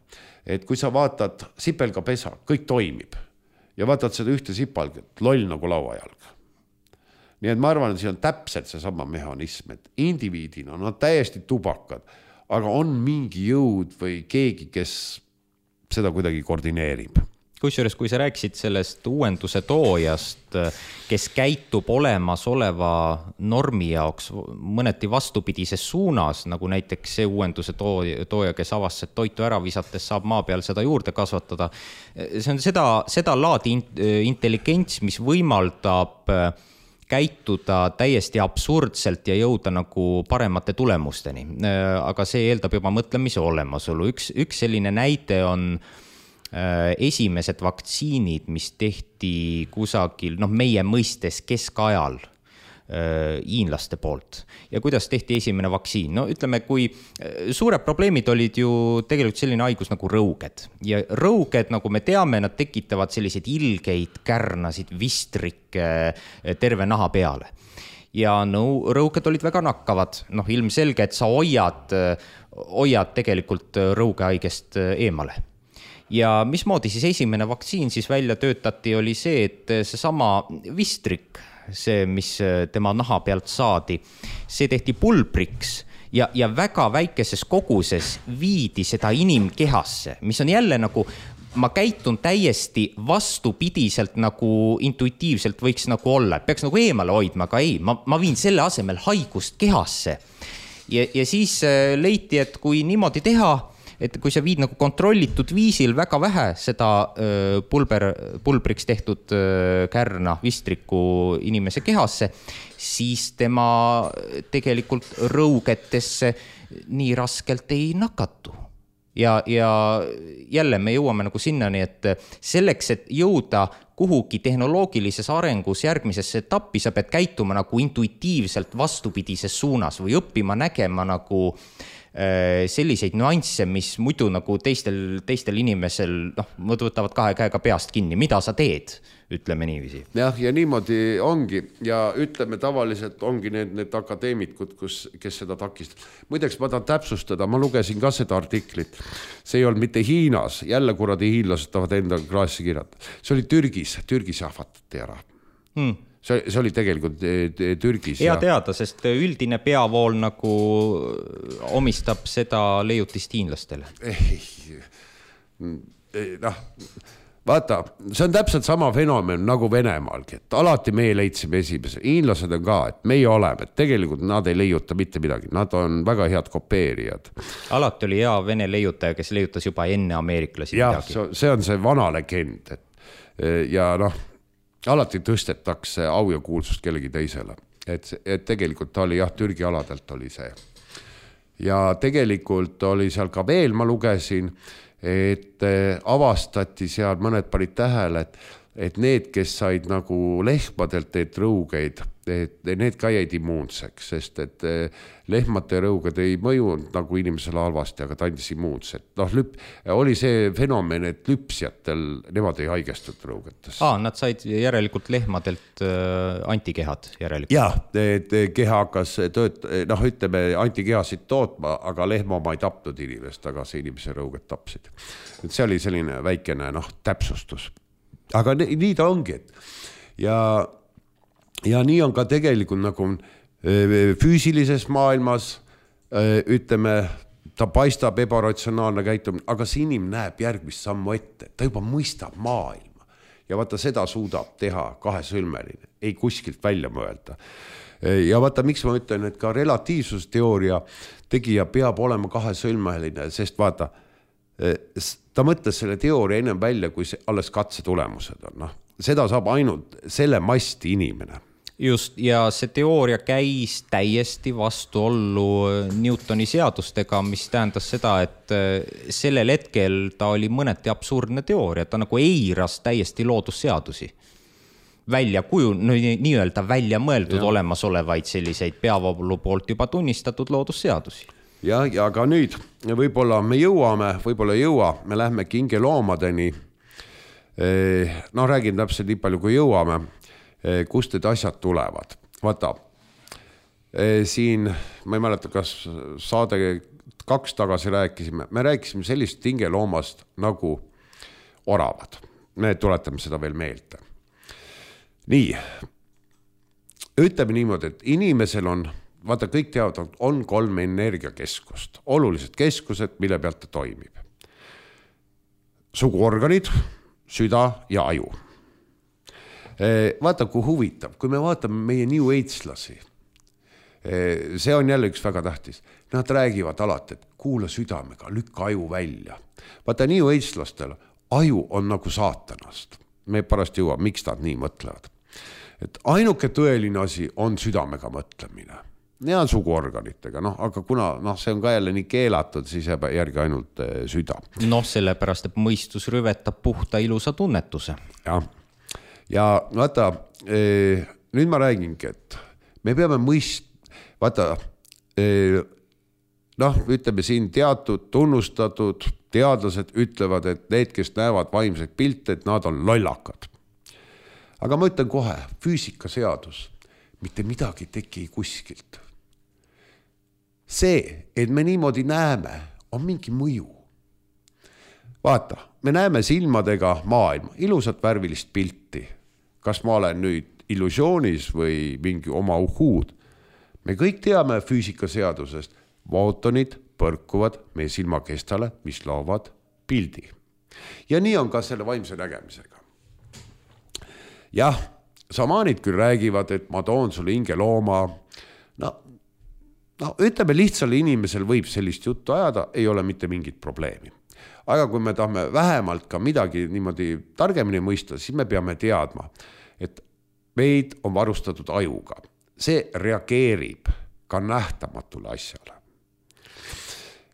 et kui sa vaatad sipelga pesa, kõik toimib ja vaatad seda ühte sipalget, loll nagu lauajalg. Nii et ma arvan, et siin on täpselt see sama mehhanism, et indiviidina on nad täiesti tubakad, aga on mingi jõud või keegi, kes seda kuidagi koordineerib. Kusjuures, kui sa rääkisid sellest uuenduse toojast, kes käitub olemasoleva normi jaoks mõneti vastupidises suunas, nagu näiteks see uuenduse tooja, kes avastas, et toitu ära visates saab maa peal seda juurde kasvatada. See on seda, seda laadi intelligents, mis võimaldab käituda täiesti absurdselt ja jõuda nagu paremate tulemusteni. Aga see eeldab juba mõtlemise olemasolu. Üks, üks selline näite on esimesed vaktsiinid, mis tehti kusagil, noh, meie mõistes keskajal hiinlaste poolt. Ja kuidas tehti esimene vaktsiin? No ütleme, kui suured probleemid olid ju tegelikult selline haigus nagu rõuged. Ja rõuged, nagu me teame, nad tekitavad selliseid ilgeid kärnasid, vistrikke terve naha peale. Ja no, rõuged olid väga nakkavad. Noh, ilmselge, et sa hoiad, hoiad tegelikult rõugehaigest eemale. Ja mismoodi siis esimene vaktsiin siis välja töötati, oli see, et see sama vistrik, see, mis tema naha pealt saadi, see tehti pulbriks ja, ja väga väikeses koguses viidi seda inimkehasse, mis on jälle nagu, ma käitun täiesti vastupidiselt nagu intuitiivselt võiks nagu olla, et peaks nagu eemale hoidma, aga ei, ma, ma viin selle asemel haigust kehasse. Ja, ja siis leiti, et kui niimoodi teha, et kui sa viid nagu kontrollitud viisil väga vähe seda pulber, pulbriks tehtud kärna vistriku inimese kehasse, siis tema tegelikult rõugetesse nii raskelt ei nakatu. Ja, ja jälle me jõuame nagu sinnani, et selleks, et jõuda kuhugi tehnoloogilises arengus järgmisesse etappi, sa pead käituma nagu intuitiivselt vastupidises suunas või õppima nägema nagu selliseid nüansse, mis muidu nagu teistel, teistel inimesel, noh, võtavad kahe käega peast kinni, mida sa teed, ütleme niiviisi. Jah, ja niimoodi ongi ja ütleme tavaliselt ongi need, need akadeemikud, kus, kes seda takistab. Muideks ma tahan täpsustada, ma lugesin ka seda artiklit. See ei olnud mitte Hiinas, jälle kuradi hiinlased tahavad enda klaasi kirjata. See oli Türgis, Türgis ahvatati ära. Hmm. See, see oli tegelikult Türgis. Hea teada, sest üldine peavool nagu omistab seda leiutist hiinlastele. Noh, vaata, see on täpselt sama fenomen nagu Venemaalgi, et alati meie leidsime esimese. Hiinlased on ka, et meie oleme, et tegelikult nad ei leiuta mitte midagi. Nad on väga head kopeerijad. Alati oli hea vene leiutaja, kes leiutas juba enne ameeriklasi ja, midagi. Ja, see on see vana legend. Et, ja noh, alati tõstetakse au ja kuulsust kellegi teisele. Et, et tegelikult ta oli jah, Türgi aladelt oli see. Ja tegelikult oli seal ka veel, ma lugesin, et avastati seal mõned panid tähele, et, et need, kes said nagu lehmadelt need rõugeid, et need ka jäid immuunseks, sest et lehmate rõuged ei mõjunud nagu inimesele halvasti, aga ta andis immuunset. Noh, lüp, oli see fenomen, et lüpsjatel nemad ei haigestunud rõugetes. Aa, nad said järelikult lehmadelt antikehad järelikult. Jah, et keha hakkas tööt, noh, ütleme, antikehasid tootma, aga lehma oma ei tapnud inimest, aga see inimese rõuged tapsid. Et see oli selline väikene, noh, täpsustus. Aga nii, nii ta ongi, et ja Ja nii on ka tegelikult nagu füüsilises maailmas, ütleme, ta paistab ebaratsionaalne käitumine, aga see inimene näeb järgmist sammu ette, ta juba mõistab maailma. ja vaata seda suudab teha kahesõlmeline, ei kuskilt välja mõelda. Ja vaata, miks ma ütlen, et ka relatiivsusteooria tegija peab olema kahesõlmeline, sest vaata, ta mõtles selle teooria ennem välja, kui see alles katse tulemused on. No, seda saab ainult selle masti inimene. Just, ja see teooria käis täiesti vastuollu Newtoni seadustega, mis tähendas seda, et sellel hetkel ta oli mõneti absurdne teooria, ta nagu eiras täiesti loodusseadusi. Välja kuju, no, nii-öelda välja mõeldud ja. Olemasolevaid selliseid peavoolu poolt juba tunnistatud loodusseadusi. Ja, ja ka nüüd võib-olla me jõuame, võib-olla jõua, me lähme kingeloomadeni, no räägin täpselt nii palju, kui jõuame, kust need asjad tulevad. Vaata, siin, ma ei mäleta, kas saade kaks tagasi rääkisime, me rääkisime sellist kingeloomast nagu oravad. Me tuletame seda veel meelde. Nii, ütleme niimoodi, et inimesel on, vaata kõik teavad, on kolm energiakeskust, olulised keskused, mille pealt ta toimib. Suguorganid, süda ja aju. Vaata, kui huvitav, kui me vaatame meie New Age-lasi, see on jälle üks väga tähtis. Nad räägivad alati, et kuula südamega, lükka aju välja. Vaata, New Age-lastel aju on nagu saatanast. Me pärast jõua, miks nad nii mõtlevad. Et ainuke tõeline asi on südamega mõtlemine. Ja suguorganitega, noh, aga kuna noh, see on ka jälle nii keelatud, siis jääb järgi ainult süda. Noh, sellepärast, et mõistus rüvetab puhta ilusa tunnetuse. Ja, ja vaata, nüüd ma räägingi, et me peame mõist, vaata, noh, ütleme siin teatud tunnustatud teadlased ütlevad, et need, kes näevad vaimseid pilte, et nad on lollakad. Aga ma ütlen kohe, füüsikaseadus, mitte midagi teki kuskilt. See, et me niimoodi näeme, on mingi mõju. Vaata, me näeme silmadega maailma, ilusat värvilist pilti. Kas ma olen nüüd illusioonis või mingi oma uhuud? Me kõik teame füüsikaseadusest, footonid põrkuvad meie silmakestale, mis loovad pildi. Ja nii on ka selle vaimse nägemisega. Jah, samaanid küll räägivad, et ma toon sulle hingelooma. No, no, ütleme lihtsale inimesel võib sellist juttu ajada, ei ole mitte mingit probleemi. Aga kui me tahame vähemalt ka midagi niimoodi targemini mõista, siis me peame teadma, et meid on varustatud ajuga. See reageerib ka nähtamatule asjale.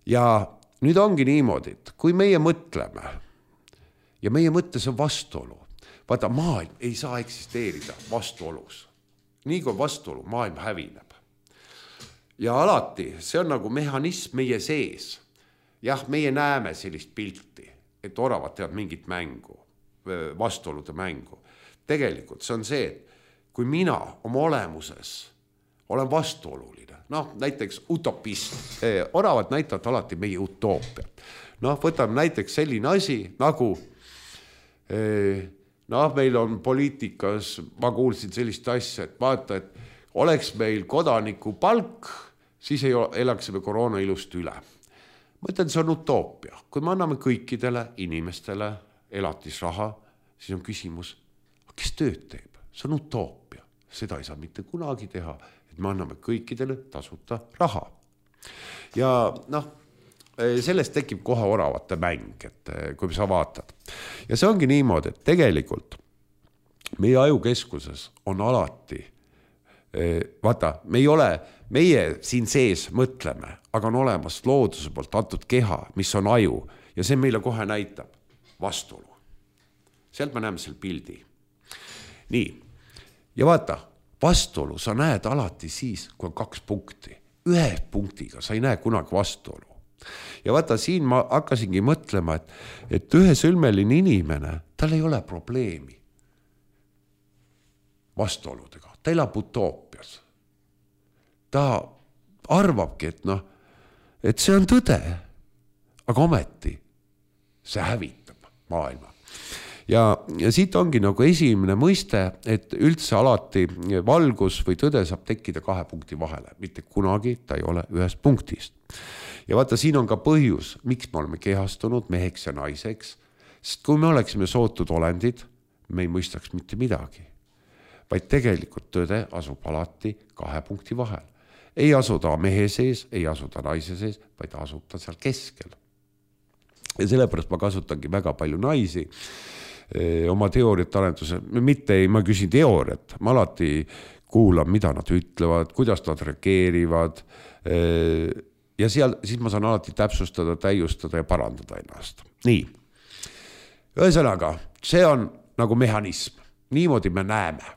Ja nüüd ongi niimoodi, et kui meie mõtleme ja meie mõttes on vastuolu, vaata, maailm ei saa eksisteerida vastuolus. Nii kui vastuolu, maailm hävineb. Ja alati, see on nagu mehhanism meie sees. Jah, meie näeme sellist pilti, et oravad teevad mingit mängu, vastuolude mängu. Tegelikult see on see, et kui mina oma olemuses olen vastuoluline, noh, näiteks utopist, oravad näitavad alati meie utoopiat. Noh, võtame näiteks selline asi, nagu noh, meil on poliitikas, ma kuulsin sellist asja, et vaata, et oleks meil kodaniku palk, siis ei elaksime koroona ilust üle. Ma ütlen, see on utoopia. Kui me anname kõikidele inimestele elatisraha, siis on küsimus, kes tööd teeb? See on utoopia. Seda ei saa mitte kunagi teha, et me anname kõikidele tasuta raha. Ja noh, sellest tekib kohe oravate mäng, et kui sa vaatad. Ja see ongi niimoodi, et tegelikult meie ajukeskuses on alati, vaata, me ei ole, meie siin sees mõtleme, aga on olemas looduse poolt antud keha, mis on aju, ja see meile kohe näitab vastuolu. Sealt me näeme selle pildi. Nii, ja vaata, vastuolu sa näed alati siis, kui on kaks punkti. Ühe punktiga sa ei näe kunagi vastuolu. Ja vaata, siin ma hakkasingi mõtlema, et, et ühe sõlmeline inimene, tal ei ole probleemi vastuoludega. Ta elab utoopias. Ta arvabki, et noh, et see on tõde, aga ometi see hävitab maailma. Ja, ja siit ongi nagu esimene mõiste, et üldse alati valgus või tõde saab tekkida kahe punkti vahele. Mitte kunagi ta ei ole ühest punktist. Ja vaata, siin on ka põhjus, miks me oleme kehastunud meheks ja naiseks. Sest kui me oleksime sootud olendid, me ei mõistaks mitte midagi, vaid tegelikult tõde asub alati kahe punkti vahel. Ei asu ta mehe sees, ei asu ta naise sees, vaid asub ta seal keskel. Ja sellepärast ma kasutangi väga palju naisi oma teooriat arenduse, mitte ei, ma küsin teooriat, ma alati kuulan, mida nad ütlevad, kuidas nad reageerivad ja seal, siis ma saan alati täpsustada, täiustada ja parandada ennast. Nii, ühesõnaga, see on nagu mehhanism, niimoodi me näeme.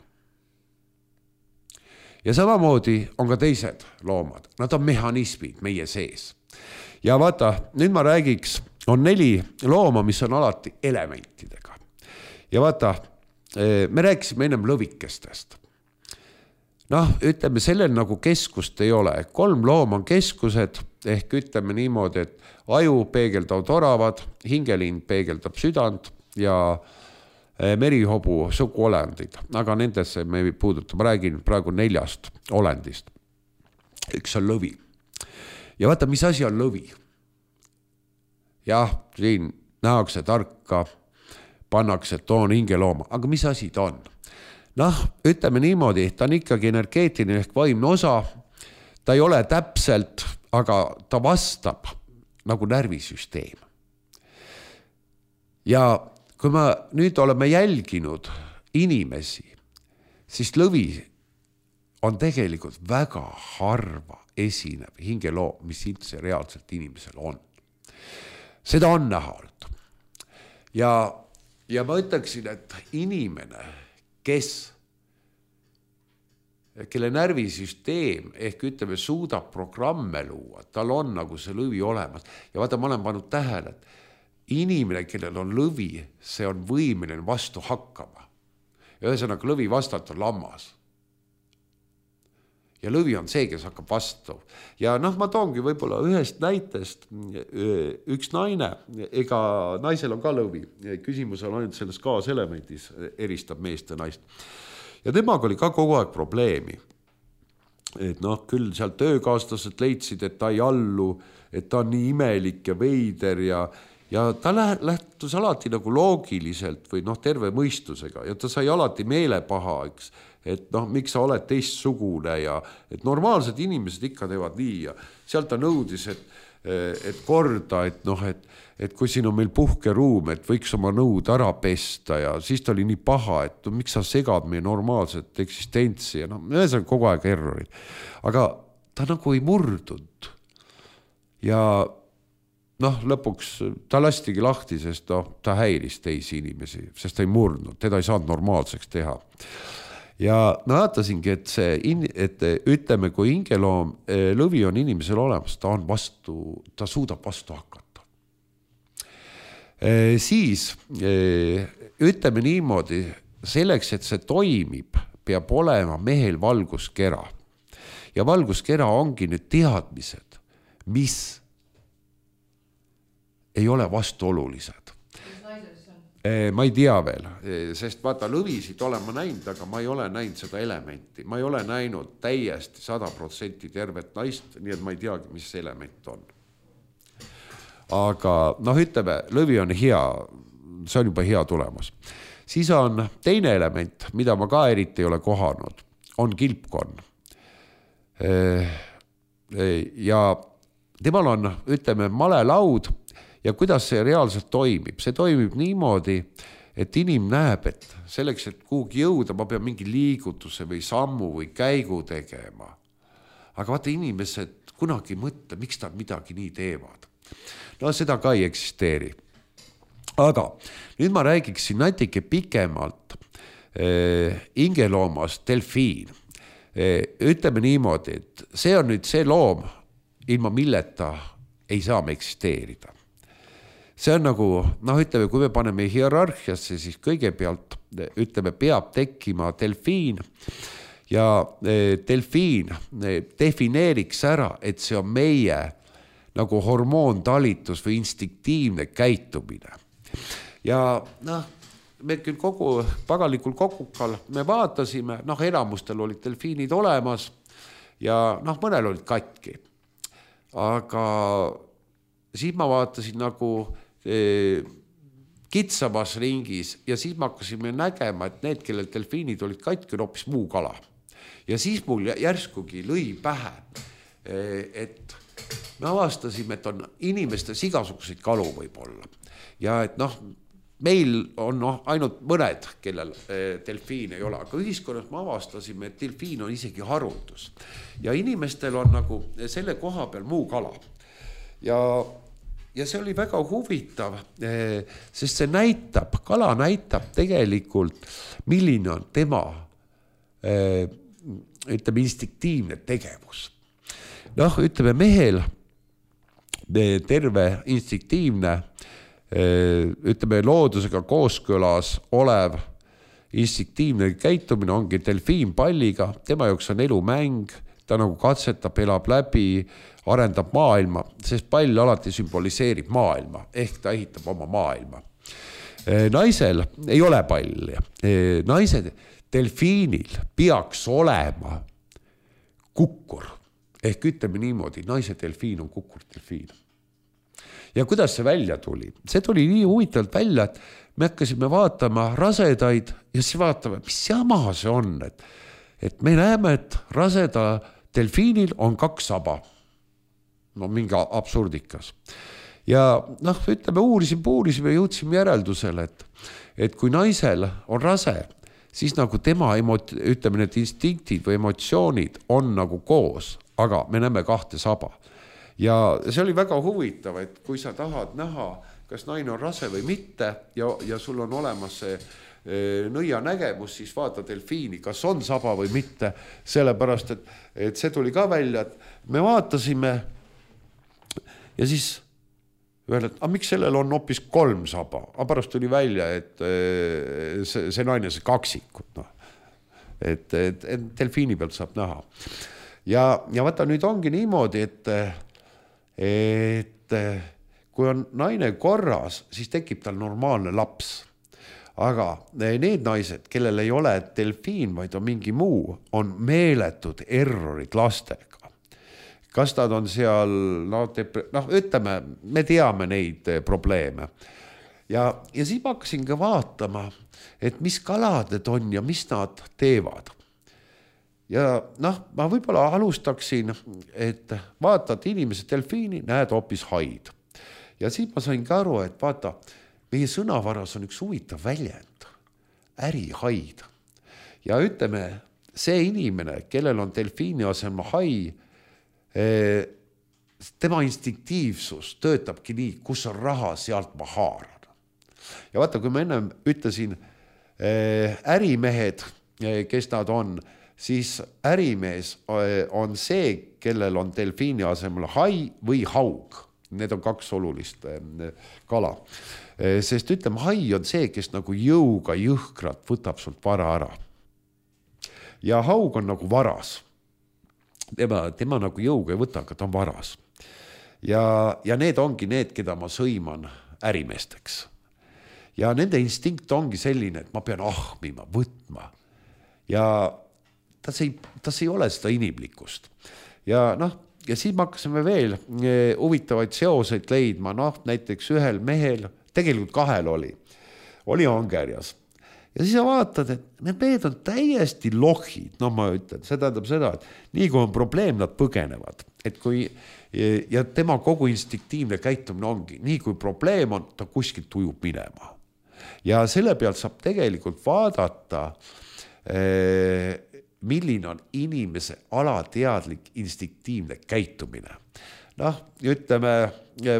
Ja samamoodi on ka teised loomad, nad on mehhanismid meie sees. Ja vaata, nüüd ma räägiks, on neli looma, mis on alati elementidega. Ja vaata, me rääkisime ennem lõvikestest. Noh, ütleme, sellel nagu keskust ei ole. Kolm loom on keskused, ehk ütleme niimoodi, et aju peegeldavad oravad, hingelind peegeldab südant ja merihobu suguolendid. Aga nendesse me ei puuduta, ma räägin praegu neljast olendist. Üks on lõvi. Ja vaata, mis asi on lõvi? Jah, siin nähakse tarka, pannakse, et on hingelooma, aga mis asi ta on? Noh, ütleme niimoodi, ta on ikkagi energeetiline ehk vaimne osa, ta ei ole täpselt, aga ta vastab nagu närvisüsteem. Ja kui me nüüd oleme jälginud inimesi, siis lõvi on tegelikult väga harva esinev hingeloom, mis üldse reaalselt inimesel on. Seda on näha olnud. Ja, ja ma ütleksin, et inimene, kes, kelle närvisüsteem ehk ütleme suudab programme luua, tal on nagu see lõvi olemas. Ja vaata, ma olen pannud tähele, et inimene, kellel on lõvi, see on võimeline vastu hakkama. Ja ühesõnaga lõvi vastalt on lammas. Ja lõvi on see, kes hakkab vastu. Ja noh, ma toongi võib-olla ühest näitest üks naine, ega naisel on ka lõvi. Küsimus on ainult selles kaaselementis, eristab meest ja naist. Ja temaga oli ka kogu aeg probleemi. Et noh, küll seal töökaaslased leidsid, et ta ei allu, et ta on nii imelik ja veider ja, ja ta lähtus alati nagu loogiliselt või noh, terve mõistusega ja ta sai alati meelepaha, eks. Et noh, miks sa oled teistsugune ja et normaalsed inimesed ikka teevad nii ja sealt ta nõudis, et, et korda, et noh, et, et kui siin on meil puhkeruum, et võiks oma nõud ära pesta ja siis ta oli nii paha, et no, miks sa segad meie normaalset eksistentsi ja noh, ühesõnaga kogu aeg errorid. Aga ta nagu ei murdunud ja noh, lõpuks ta lastigi lahti, sest noh, ta häiris teisi inimesi, sest ta ei murdnud, teda ei saanud normaalseks teha. Ja näatasingi, et, see, et ütleme, kui hingeloom lõvi on inimesel olemas, ta, on vastu, ta suudab vastu hakata. E, siis ütleme niimoodi, selleks, et see toimib, peab olema mehel valguskera. Ja valguskera ongi nüüd teadmised, mis ei ole vastuolulised. Ma ei tea veel, sest vaata lõvisid olen ma näinud, aga ma ei ole näinud seda elementi. Ma ei ole näinud täiesti sada protsenti tervet naist, nii et ma ei teagi, mis see element on. Aga noh, ütleme, lõvi on hea, see on juba hea tulemus. Siis on teine element, mida ma ka eriti ei ole kohanud, on kilpkonn. Ja temal on, ütleme, malelaud. Ja kuidas see reaalselt toimib? See toimib niimoodi, et inim näeb, et selleks, et kuhugi jõuda, ma pean mingi liigutuse või sammu või käigu tegema. Aga vaata, inimesed kunagi mõtle, miks ta midagi nii teevad. No seda ka ei eksisteeri. Aga nüüd ma räägiksin natuke pikemalt eh, ingeloomast delfiin. Eh, ütleme niimoodi, et see on nüüd see loom, ilma milleta ei saa me eksisteerida. See on nagu, noh ütleme, kui me paneme hierarhiasse, siis kõigepealt ütleme, peab tekkima delfiin ja delfiin defineeriks ära, et see on meie nagu hormoontalitus või instinktiivne käitumine. Ja noh, me küll kogu pagalikul kokukal me vaatasime, noh enamustel olid delfiinid olemas ja noh, mõnel olid katki. Aga siis ma vaatasin nagu kitsamas ringis ja siis me hakkasime nägema, et need, kellel delfiinid olid katki, on hoopis muu kala. Ja siis mul järskugi lõi pähe, et me avastasime, et on inimestes igasuguseid kalu võib olla. Ja et noh, meil on noh, ainult mõned, kellel delfiin ei ole, aga ühiskonnas me avastasime, et delfiin on isegi haruldus. Ja inimestel on nagu selle koha peal muu kala. Ja, ja see oli väga huvitav, sest see näitab, kala näitab tegelikult, milline on tema ütleme, instinktiivne tegevus. Noh, ütleme mehel terve instinktiivne ütleme loodusega kooskõlas olev instinktiivne käitumine ongi delfiin palliga, tema jaoks on elumäng, ta nagu katsetab, elab läbi, arendab maailma, sest pall alati sümboliseerib maailma, ehk ta ehitab oma maailma. Naisel ei ole palli, naise delfiinil peaks olema kukkur, ehk ütleme niimoodi, naise delfiin on kukkur delfiin. Ja kuidas see välja tuli? See tuli nii huvitavalt välja, et me hakkasime vaatama rasedaid ja siis vaatame, mis jama see on. Et, et me näeme, et raseda delfiinil on kaks saba. No mingi absurdikas. Ja noh, ütleme, uurisime, uurisime ja jõudsime järeldusele, et, et kui naisel on rase, siis nagu tema emot-, ütleme, need instinktid või emotsioonid on nagu koos, aga me näeme kahte saba. Ja see oli väga huvitav, et kui sa tahad näha, kas naine on rase või mitte ja, ja sul on olemas see e, nõia nägemus, siis vaata delfiini, kas on saba või mitte, sellepärast, et, et see tuli ka välja, et me vaatasime ja siis öelda, et a, miks sellel on hoopis kolm saba, aga pärast tuli välja, et e, see, see naine see kaksikud, no. et, et, et delfiini pealt saab näha. Ja, ja vaata nüüd ongi niimoodi, et et kui on naine korras, siis tekib tal normaalne laps. Aga need naised, kellel ei ole delfiin, vaid on mingi muu, on meeletud errorid lastega. Kas nad on seal, no, dep- no ütleme, me teame neid probleeme. Ja, ja siis ma hakkasin ka vaatama, et mis kalad need on ja mis nad teevad. Ja noh, ma võib-olla alustaksin, et vaatad inimese delfiini, näed hoopis haid. Ja siis ma sain ka aru, et vaata, meie sõnavaras on üks huvitav väljend, ärihaid. Ja ütleme, see inimene, kellel on delfiini asemel hai, tema instinktiivsus töötabki nii, kus on raha, sealt ma haaran. Ja vaata, kui ma enne ütlesin ärimehed, kes nad on, siis ärimees on see, kellel on delfiini asemel hai või haug. Need on kaks olulist kala. Sest ütleme, hai on see, kes nagu jõuga jõhkrat võtab sult vara ära. Ja haug on nagu varas. Tema, tema nagu jõuga ei võta, aga ta on varas. Ja, ja need ongi need, keda ma sõiman ärimeesteks. Ja nende instinkt ongi selline, et ma pean ahmima, võtma. Ja tas ei, tas ei ole seda inimlikkust. Ja noh, ja siis me hakkasime veel huvitavaid seoseid leidma, noh, näiteks ühel mehel, tegelikult kahel oli, oli Angerjas. Ja siis sa vaatad, et need mehed on täiesti lohid, no ma ütlen, see tähendab seda, et nii kui on probleem, nad põgenevad. Et kui, ja tema kogu instinktiivne käitumine ongi, nii kui probleem on, ta kuskilt ujub minema. Ja selle pealt saab tegelikult vaadata eh, milline on inimese alateadlik instinktiivne käitumine. Noh, ütleme,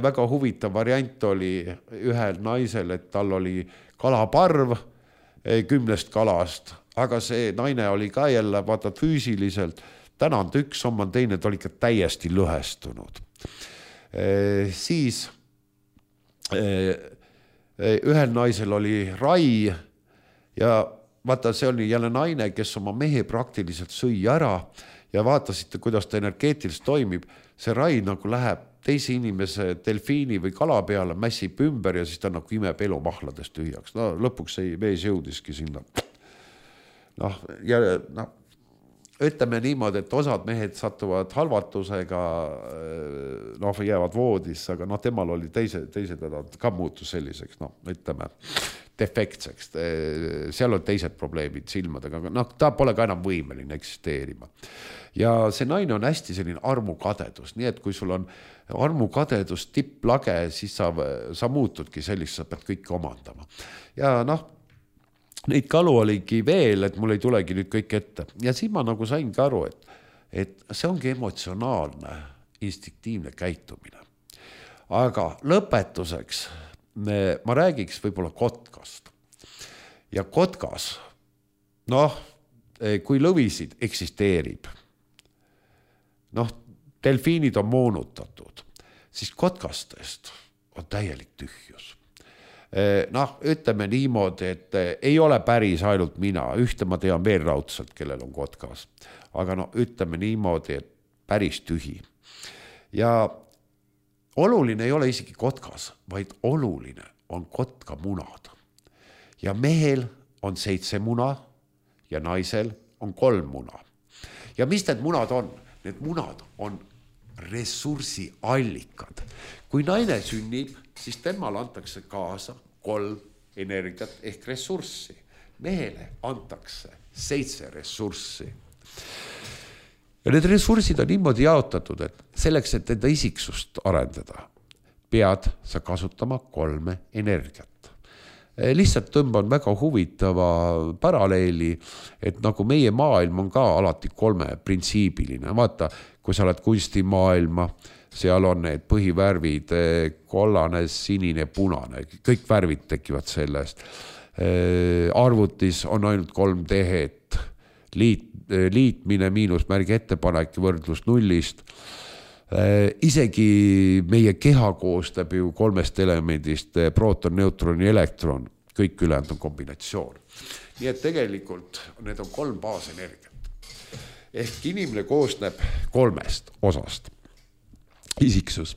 väga huvitav variant oli ühel naisel, et tal oli kalaparv kümnest kalast, aga see naine oli ka jälle, vaata füüsiliselt, täna on ta üks, on teine, ta oli ikka täiesti lõhestunud. E, siis e, ühel naisel oli rai ja vaata, see oli jälle naine, kes oma mehe praktiliselt sõi ära ja vaatasite, kuidas ta energeetiliselt toimib. See rai nagu läheb teise inimese delfiini või kala peale, mässib ümber ja siis ta nagu imeb elumahladest tühjaks. No lõpuks see mees jõudiski sinna. Noh, ja, noh, ütleme niimoodi, et osad mehed satuvad halvatusega, noh, jäävad voodis, aga noh, temal oli teise, teise teda ka muutus selliseks, noh, ütleme, defektseks. Seal on teised probleemid silmadega, aga noh, ta pole ka enam võimeline eksisteerima. Ja see naine on hästi selline armukadedus, nii et kui sul on armukadedus tipplage, siis sa, sa muutudki sellist, sa pead kõike omandama. Ja noh, neid kalu oligi veel, et mul ei tulegi nüüd kõik ette. Ja siin ma nagu saingi aru, et, et see ongi emotsionaalne, instinktiivne käitumine. Aga lõpetuseks ma räägiks võib-olla kotkast. Ja kotkas, noh, kui lõvisid eksisteerib, noh, delfiinid on moonutatud, siis kotkastest on täielik tühjus. Noh, ütleme niimoodi, et ei ole päris ainult mina, ühte ma tean veel raudselt, kellel on kotkas, aga no ütleme niimoodi, et päris tühi. Ja oluline ei ole isegi kotkas, vaid oluline on kotka munad. Ja mehel on seitse muna ja naisel on kolm muna. Ja mis need munad on? Need munad on ressursiallikad. Kui naine sünnib, siis temal antakse kaasa kolm energiat ehk ressurssi. Mehele antakse seitse ressurssi. Ja need ressursid on niimoodi jaotatud, et selleks, et enda isiksust arendada, pead sa kasutama kolme energiat. Lihtsalt tõmban väga huvitava paralleeli, et nagu meie maailm on ka alati kolme printsiibiline. Vaata, kui sa oled kunstimaailma, seal on need põhivärvid, kollane, sinine, punane, kõik värvid tekivad sellest. Arvutis on ainult kolm tehet, liit, liitmine, miinusmärgi ettepanek, võrdlus nullist. Isegi meie keha koostab ju kolmest elemendist, proton, neutron ja elektron, kõik ülejäänud on kombinatsioon. Nii et tegelikult need on kolm baasenergiat. Ehk inimene koosneb kolmest osast, isiksus,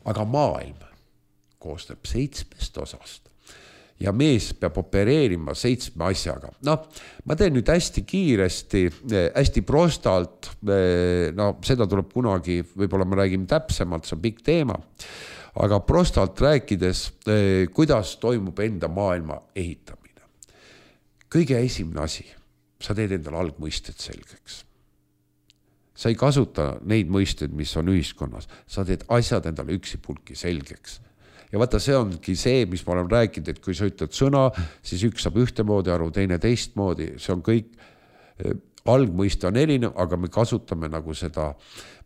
aga maailm koosneb seitsmest osast. Ja mees peab opereerima seitsme asjaga. Noh, ma teen nüüd hästi kiiresti, hästi prostalt, no seda tuleb kunagi, võib-olla ma räägin täpsemalt, see on pikk teema, aga prostalt rääkides, kuidas toimub enda maailma ehitamine. Kõige esimene asi, sa teed endal algmõisted selgeks. Sa ei kasuta neid mõisted, mis on ühiskonnas, sa teed asjad endale üksipulki selgeks. Ja vaata, see ongi see, mis ma olen rääkinud, et kui sa ütled sõna, siis üks saab ühtemoodi aru, teine teistmoodi, see on kõik, algmõiste on erinev, aga me kasutame nagu seda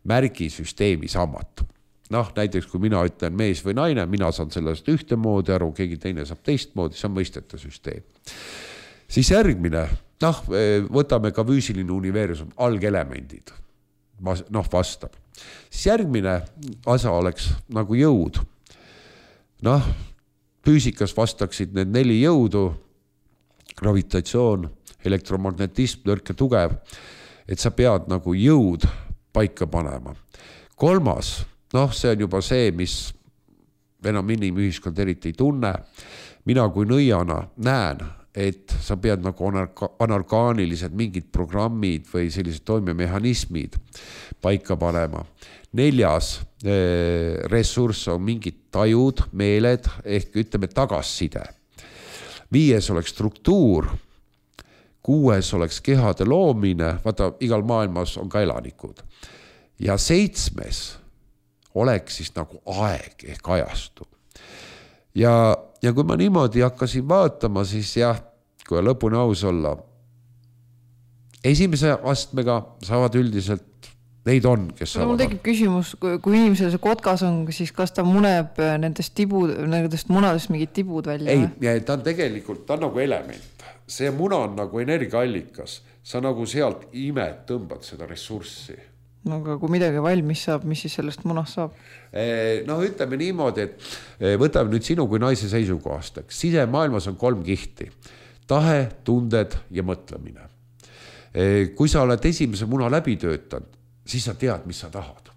märgisüsteemi samat. Noh, näiteks kui mina ütlen mees või naine, mina saan sellest ühtemoodi aru, keegi teine saab teistmoodi, see on mõistete süsteem. Siis järgmine, noh, võtame ka füüsiline universum, algelemendid, noh, vastab. Siis järgmine asa oleks nagu jõud. Noh, füüsikas vastaksid need neli jõudu, gravitatsioon, elektromagnetism, nõrk ja tugev, et sa pead nagu jõud paika panema. Kolmas, noh, see on juba see, mis enam inimühiskond eriti ei tunne. Mina kui nõiana näen, et sa pead nagu anorgaanilised mingid programmid või sellised toimemehhanismid paika panema. Neljas ressurss on mingid tajud, meeled ehk ütleme tagasside. Viies oleks struktuur, kuues oleks kehade loomine, vaata igal maailmas on ka elanikud. Ja seitsmes oleks siis nagu aeg ehk ajastu. Ja, ja kui ma niimoodi hakkasin vaatama, siis jah, kui lõpuni aus olla, esimese astmega saavad üldiselt neid on, kes saavad. Mul tekib küsimus, kui inimesel see kotkas on, siis kas ta muneb nendest, tibud, nendest munadest mingid tibud välja? Ei, ta on tegelikult, ta on nagu element. See muna on nagu energiaallikas. Sa nagu sealt imed tõmbad seda ressurssi. No aga kui midagi valmis saab, mis siis sellest munast saab? No ütleme niimoodi, et võtame nüüd sinu kui naise seisukohast. Sisemaailmas on kolm kihti. Tahe, tunded ja mõtlemine. Kui sa oled esimese muna läbi töötanud, siis sa tead, mis sa tahad.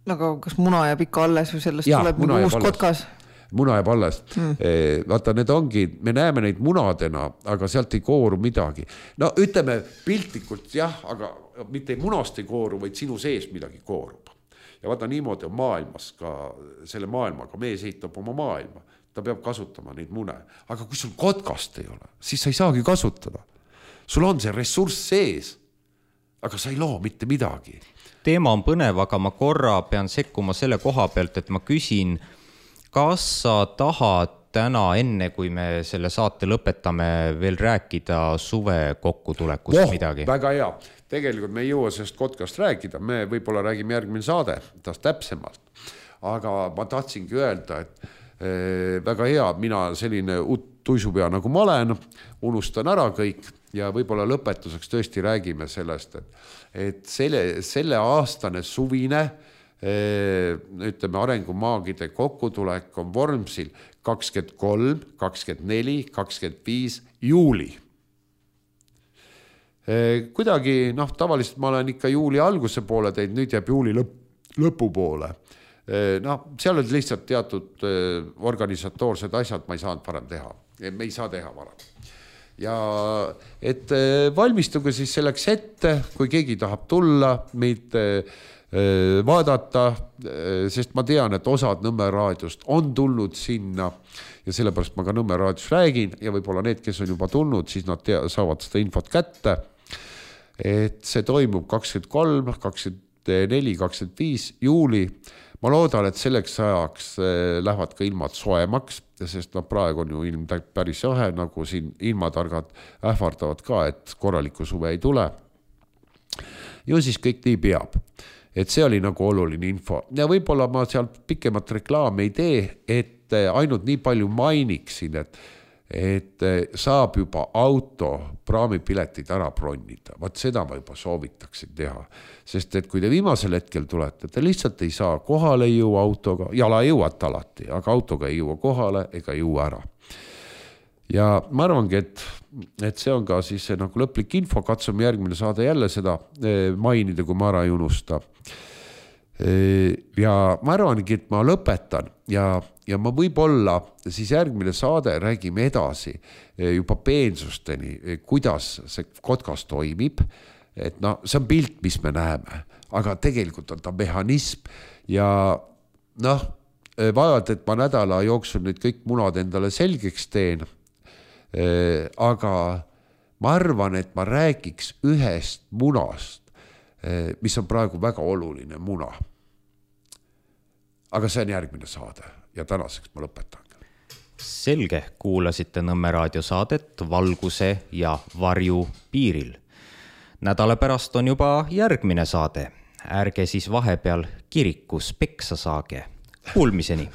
Aga kas muna jääb ikka alles või sellest ja, tuleb mingi uus kotkas? muna jääb alles mm.. vaata, need ongi, me näeme neid munadena, aga sealt ei kooru midagi. No ütleme piltlikult jah, aga mitte munast ei kooru, vaid sinu sees midagi koorub. Ja vaata, niimoodi on maailmas ka, selle maailmaga, mees ehitab oma maailma. Ta peab kasutama neid mune. Aga kui sul kotkast ei ole, siis sa ei saagi kasutada. Sul on see ressurss sees, aga sa ei loo mitte midagi. Teema on põnev, aga ma korra pean sekkuma selle koha pealt, et ma küsin, kas sa tahad täna, enne kui me selle saate lõpetame, veel rääkida suve kokkutulekust oh, midagi? Väga hea. Tegelikult me ei jõua sellest kotkast rääkida. Me võib-olla räägime järgmine saade taas täpsemalt. Aga ma tahtsingi öelda, et eh, väga hea, mina selline tuisupea nagu ma olen, unustan ära kõik ja võib-olla lõpetuseks tõesti räägime sellest, et, et selle, selle aastane suvine eh, ütleme, arengumaagide kokkutulek on Vormsil kakskümmend kolm, kakskümmend neli, kakskümmend viis juuli. Eh, kuidagi, noh, tavaliselt ma olen ikka juuli alguse poole teid, nüüd jääb juuli lõpp, lõpu poole. Eh, noh, seal on lihtsalt teatud eh, organisatoorsed asjad, ma ei saanud varem teha. Me ei saa teha varem. Ja et eh, valmistuge siis selleks ette, kui keegi tahab tulla, meid eh, vaadata, eh, sest ma tean, et osad Nõmme raadiost on tulnud sinna ja sellepärast ma ka Nõmme raadios räägin ja võib-olla need, kes on juba tulnud, siis nad tea, saavad seda infot kätte. Et see toimub kakskümmend kolm, kakskümmend neli, kakskümmend viis juuli. Ma loodan, et selleks ajaks lähevad ka ilmad soemaks, sest no, praegu on ju ilm päris jahe, nagu siin ilmatargad ähvardavad ka, et korraliku suve ei tule. Ju siis kõik nii peab. Et see oli nagu oluline info. Ja võib-olla ma seal pikemat reklaami ei tee, et ainult nii palju mainiksin, et et saab juba auto praamipiletid ära bronnida. Vaat seda ma juba soovitaksin teha. Sest et kui te viimasel hetkel tulete, te lihtsalt ei saa kohale jõua autoga, jala jõuat alati, aga autoga ei jõua kohale ega jõua ära. Ja ma arvangi, et, et see on ka siis see nagu lõplik info, katsume järgmine saade jälle seda mainida, kui ma ära ei unusta. Ja ma arvangi, et ma lõpetan ja, ja ma võib-olla siis järgmine saade räägime edasi juba peensusteni, kuidas see kotkas toimib, et no, see on pilt, mis me näeme, aga tegelikult on ta mehhanism ja noh, vaevalt, et ma nädala jooksul nüüd kõik munad endale selgeks teen, aga ma arvan, et ma räägiks ühest munast, mis on praegu väga oluline muna. Aga see on järgmine saade ja tänaseks ma lõpetan. Selge, kuulasite Nõmme raadiosaadet Valguse ja varju piiril. Nädala pärast on juba järgmine saade. Ärge siis vahepeal kirikus peksa saage. Kuulmiseni!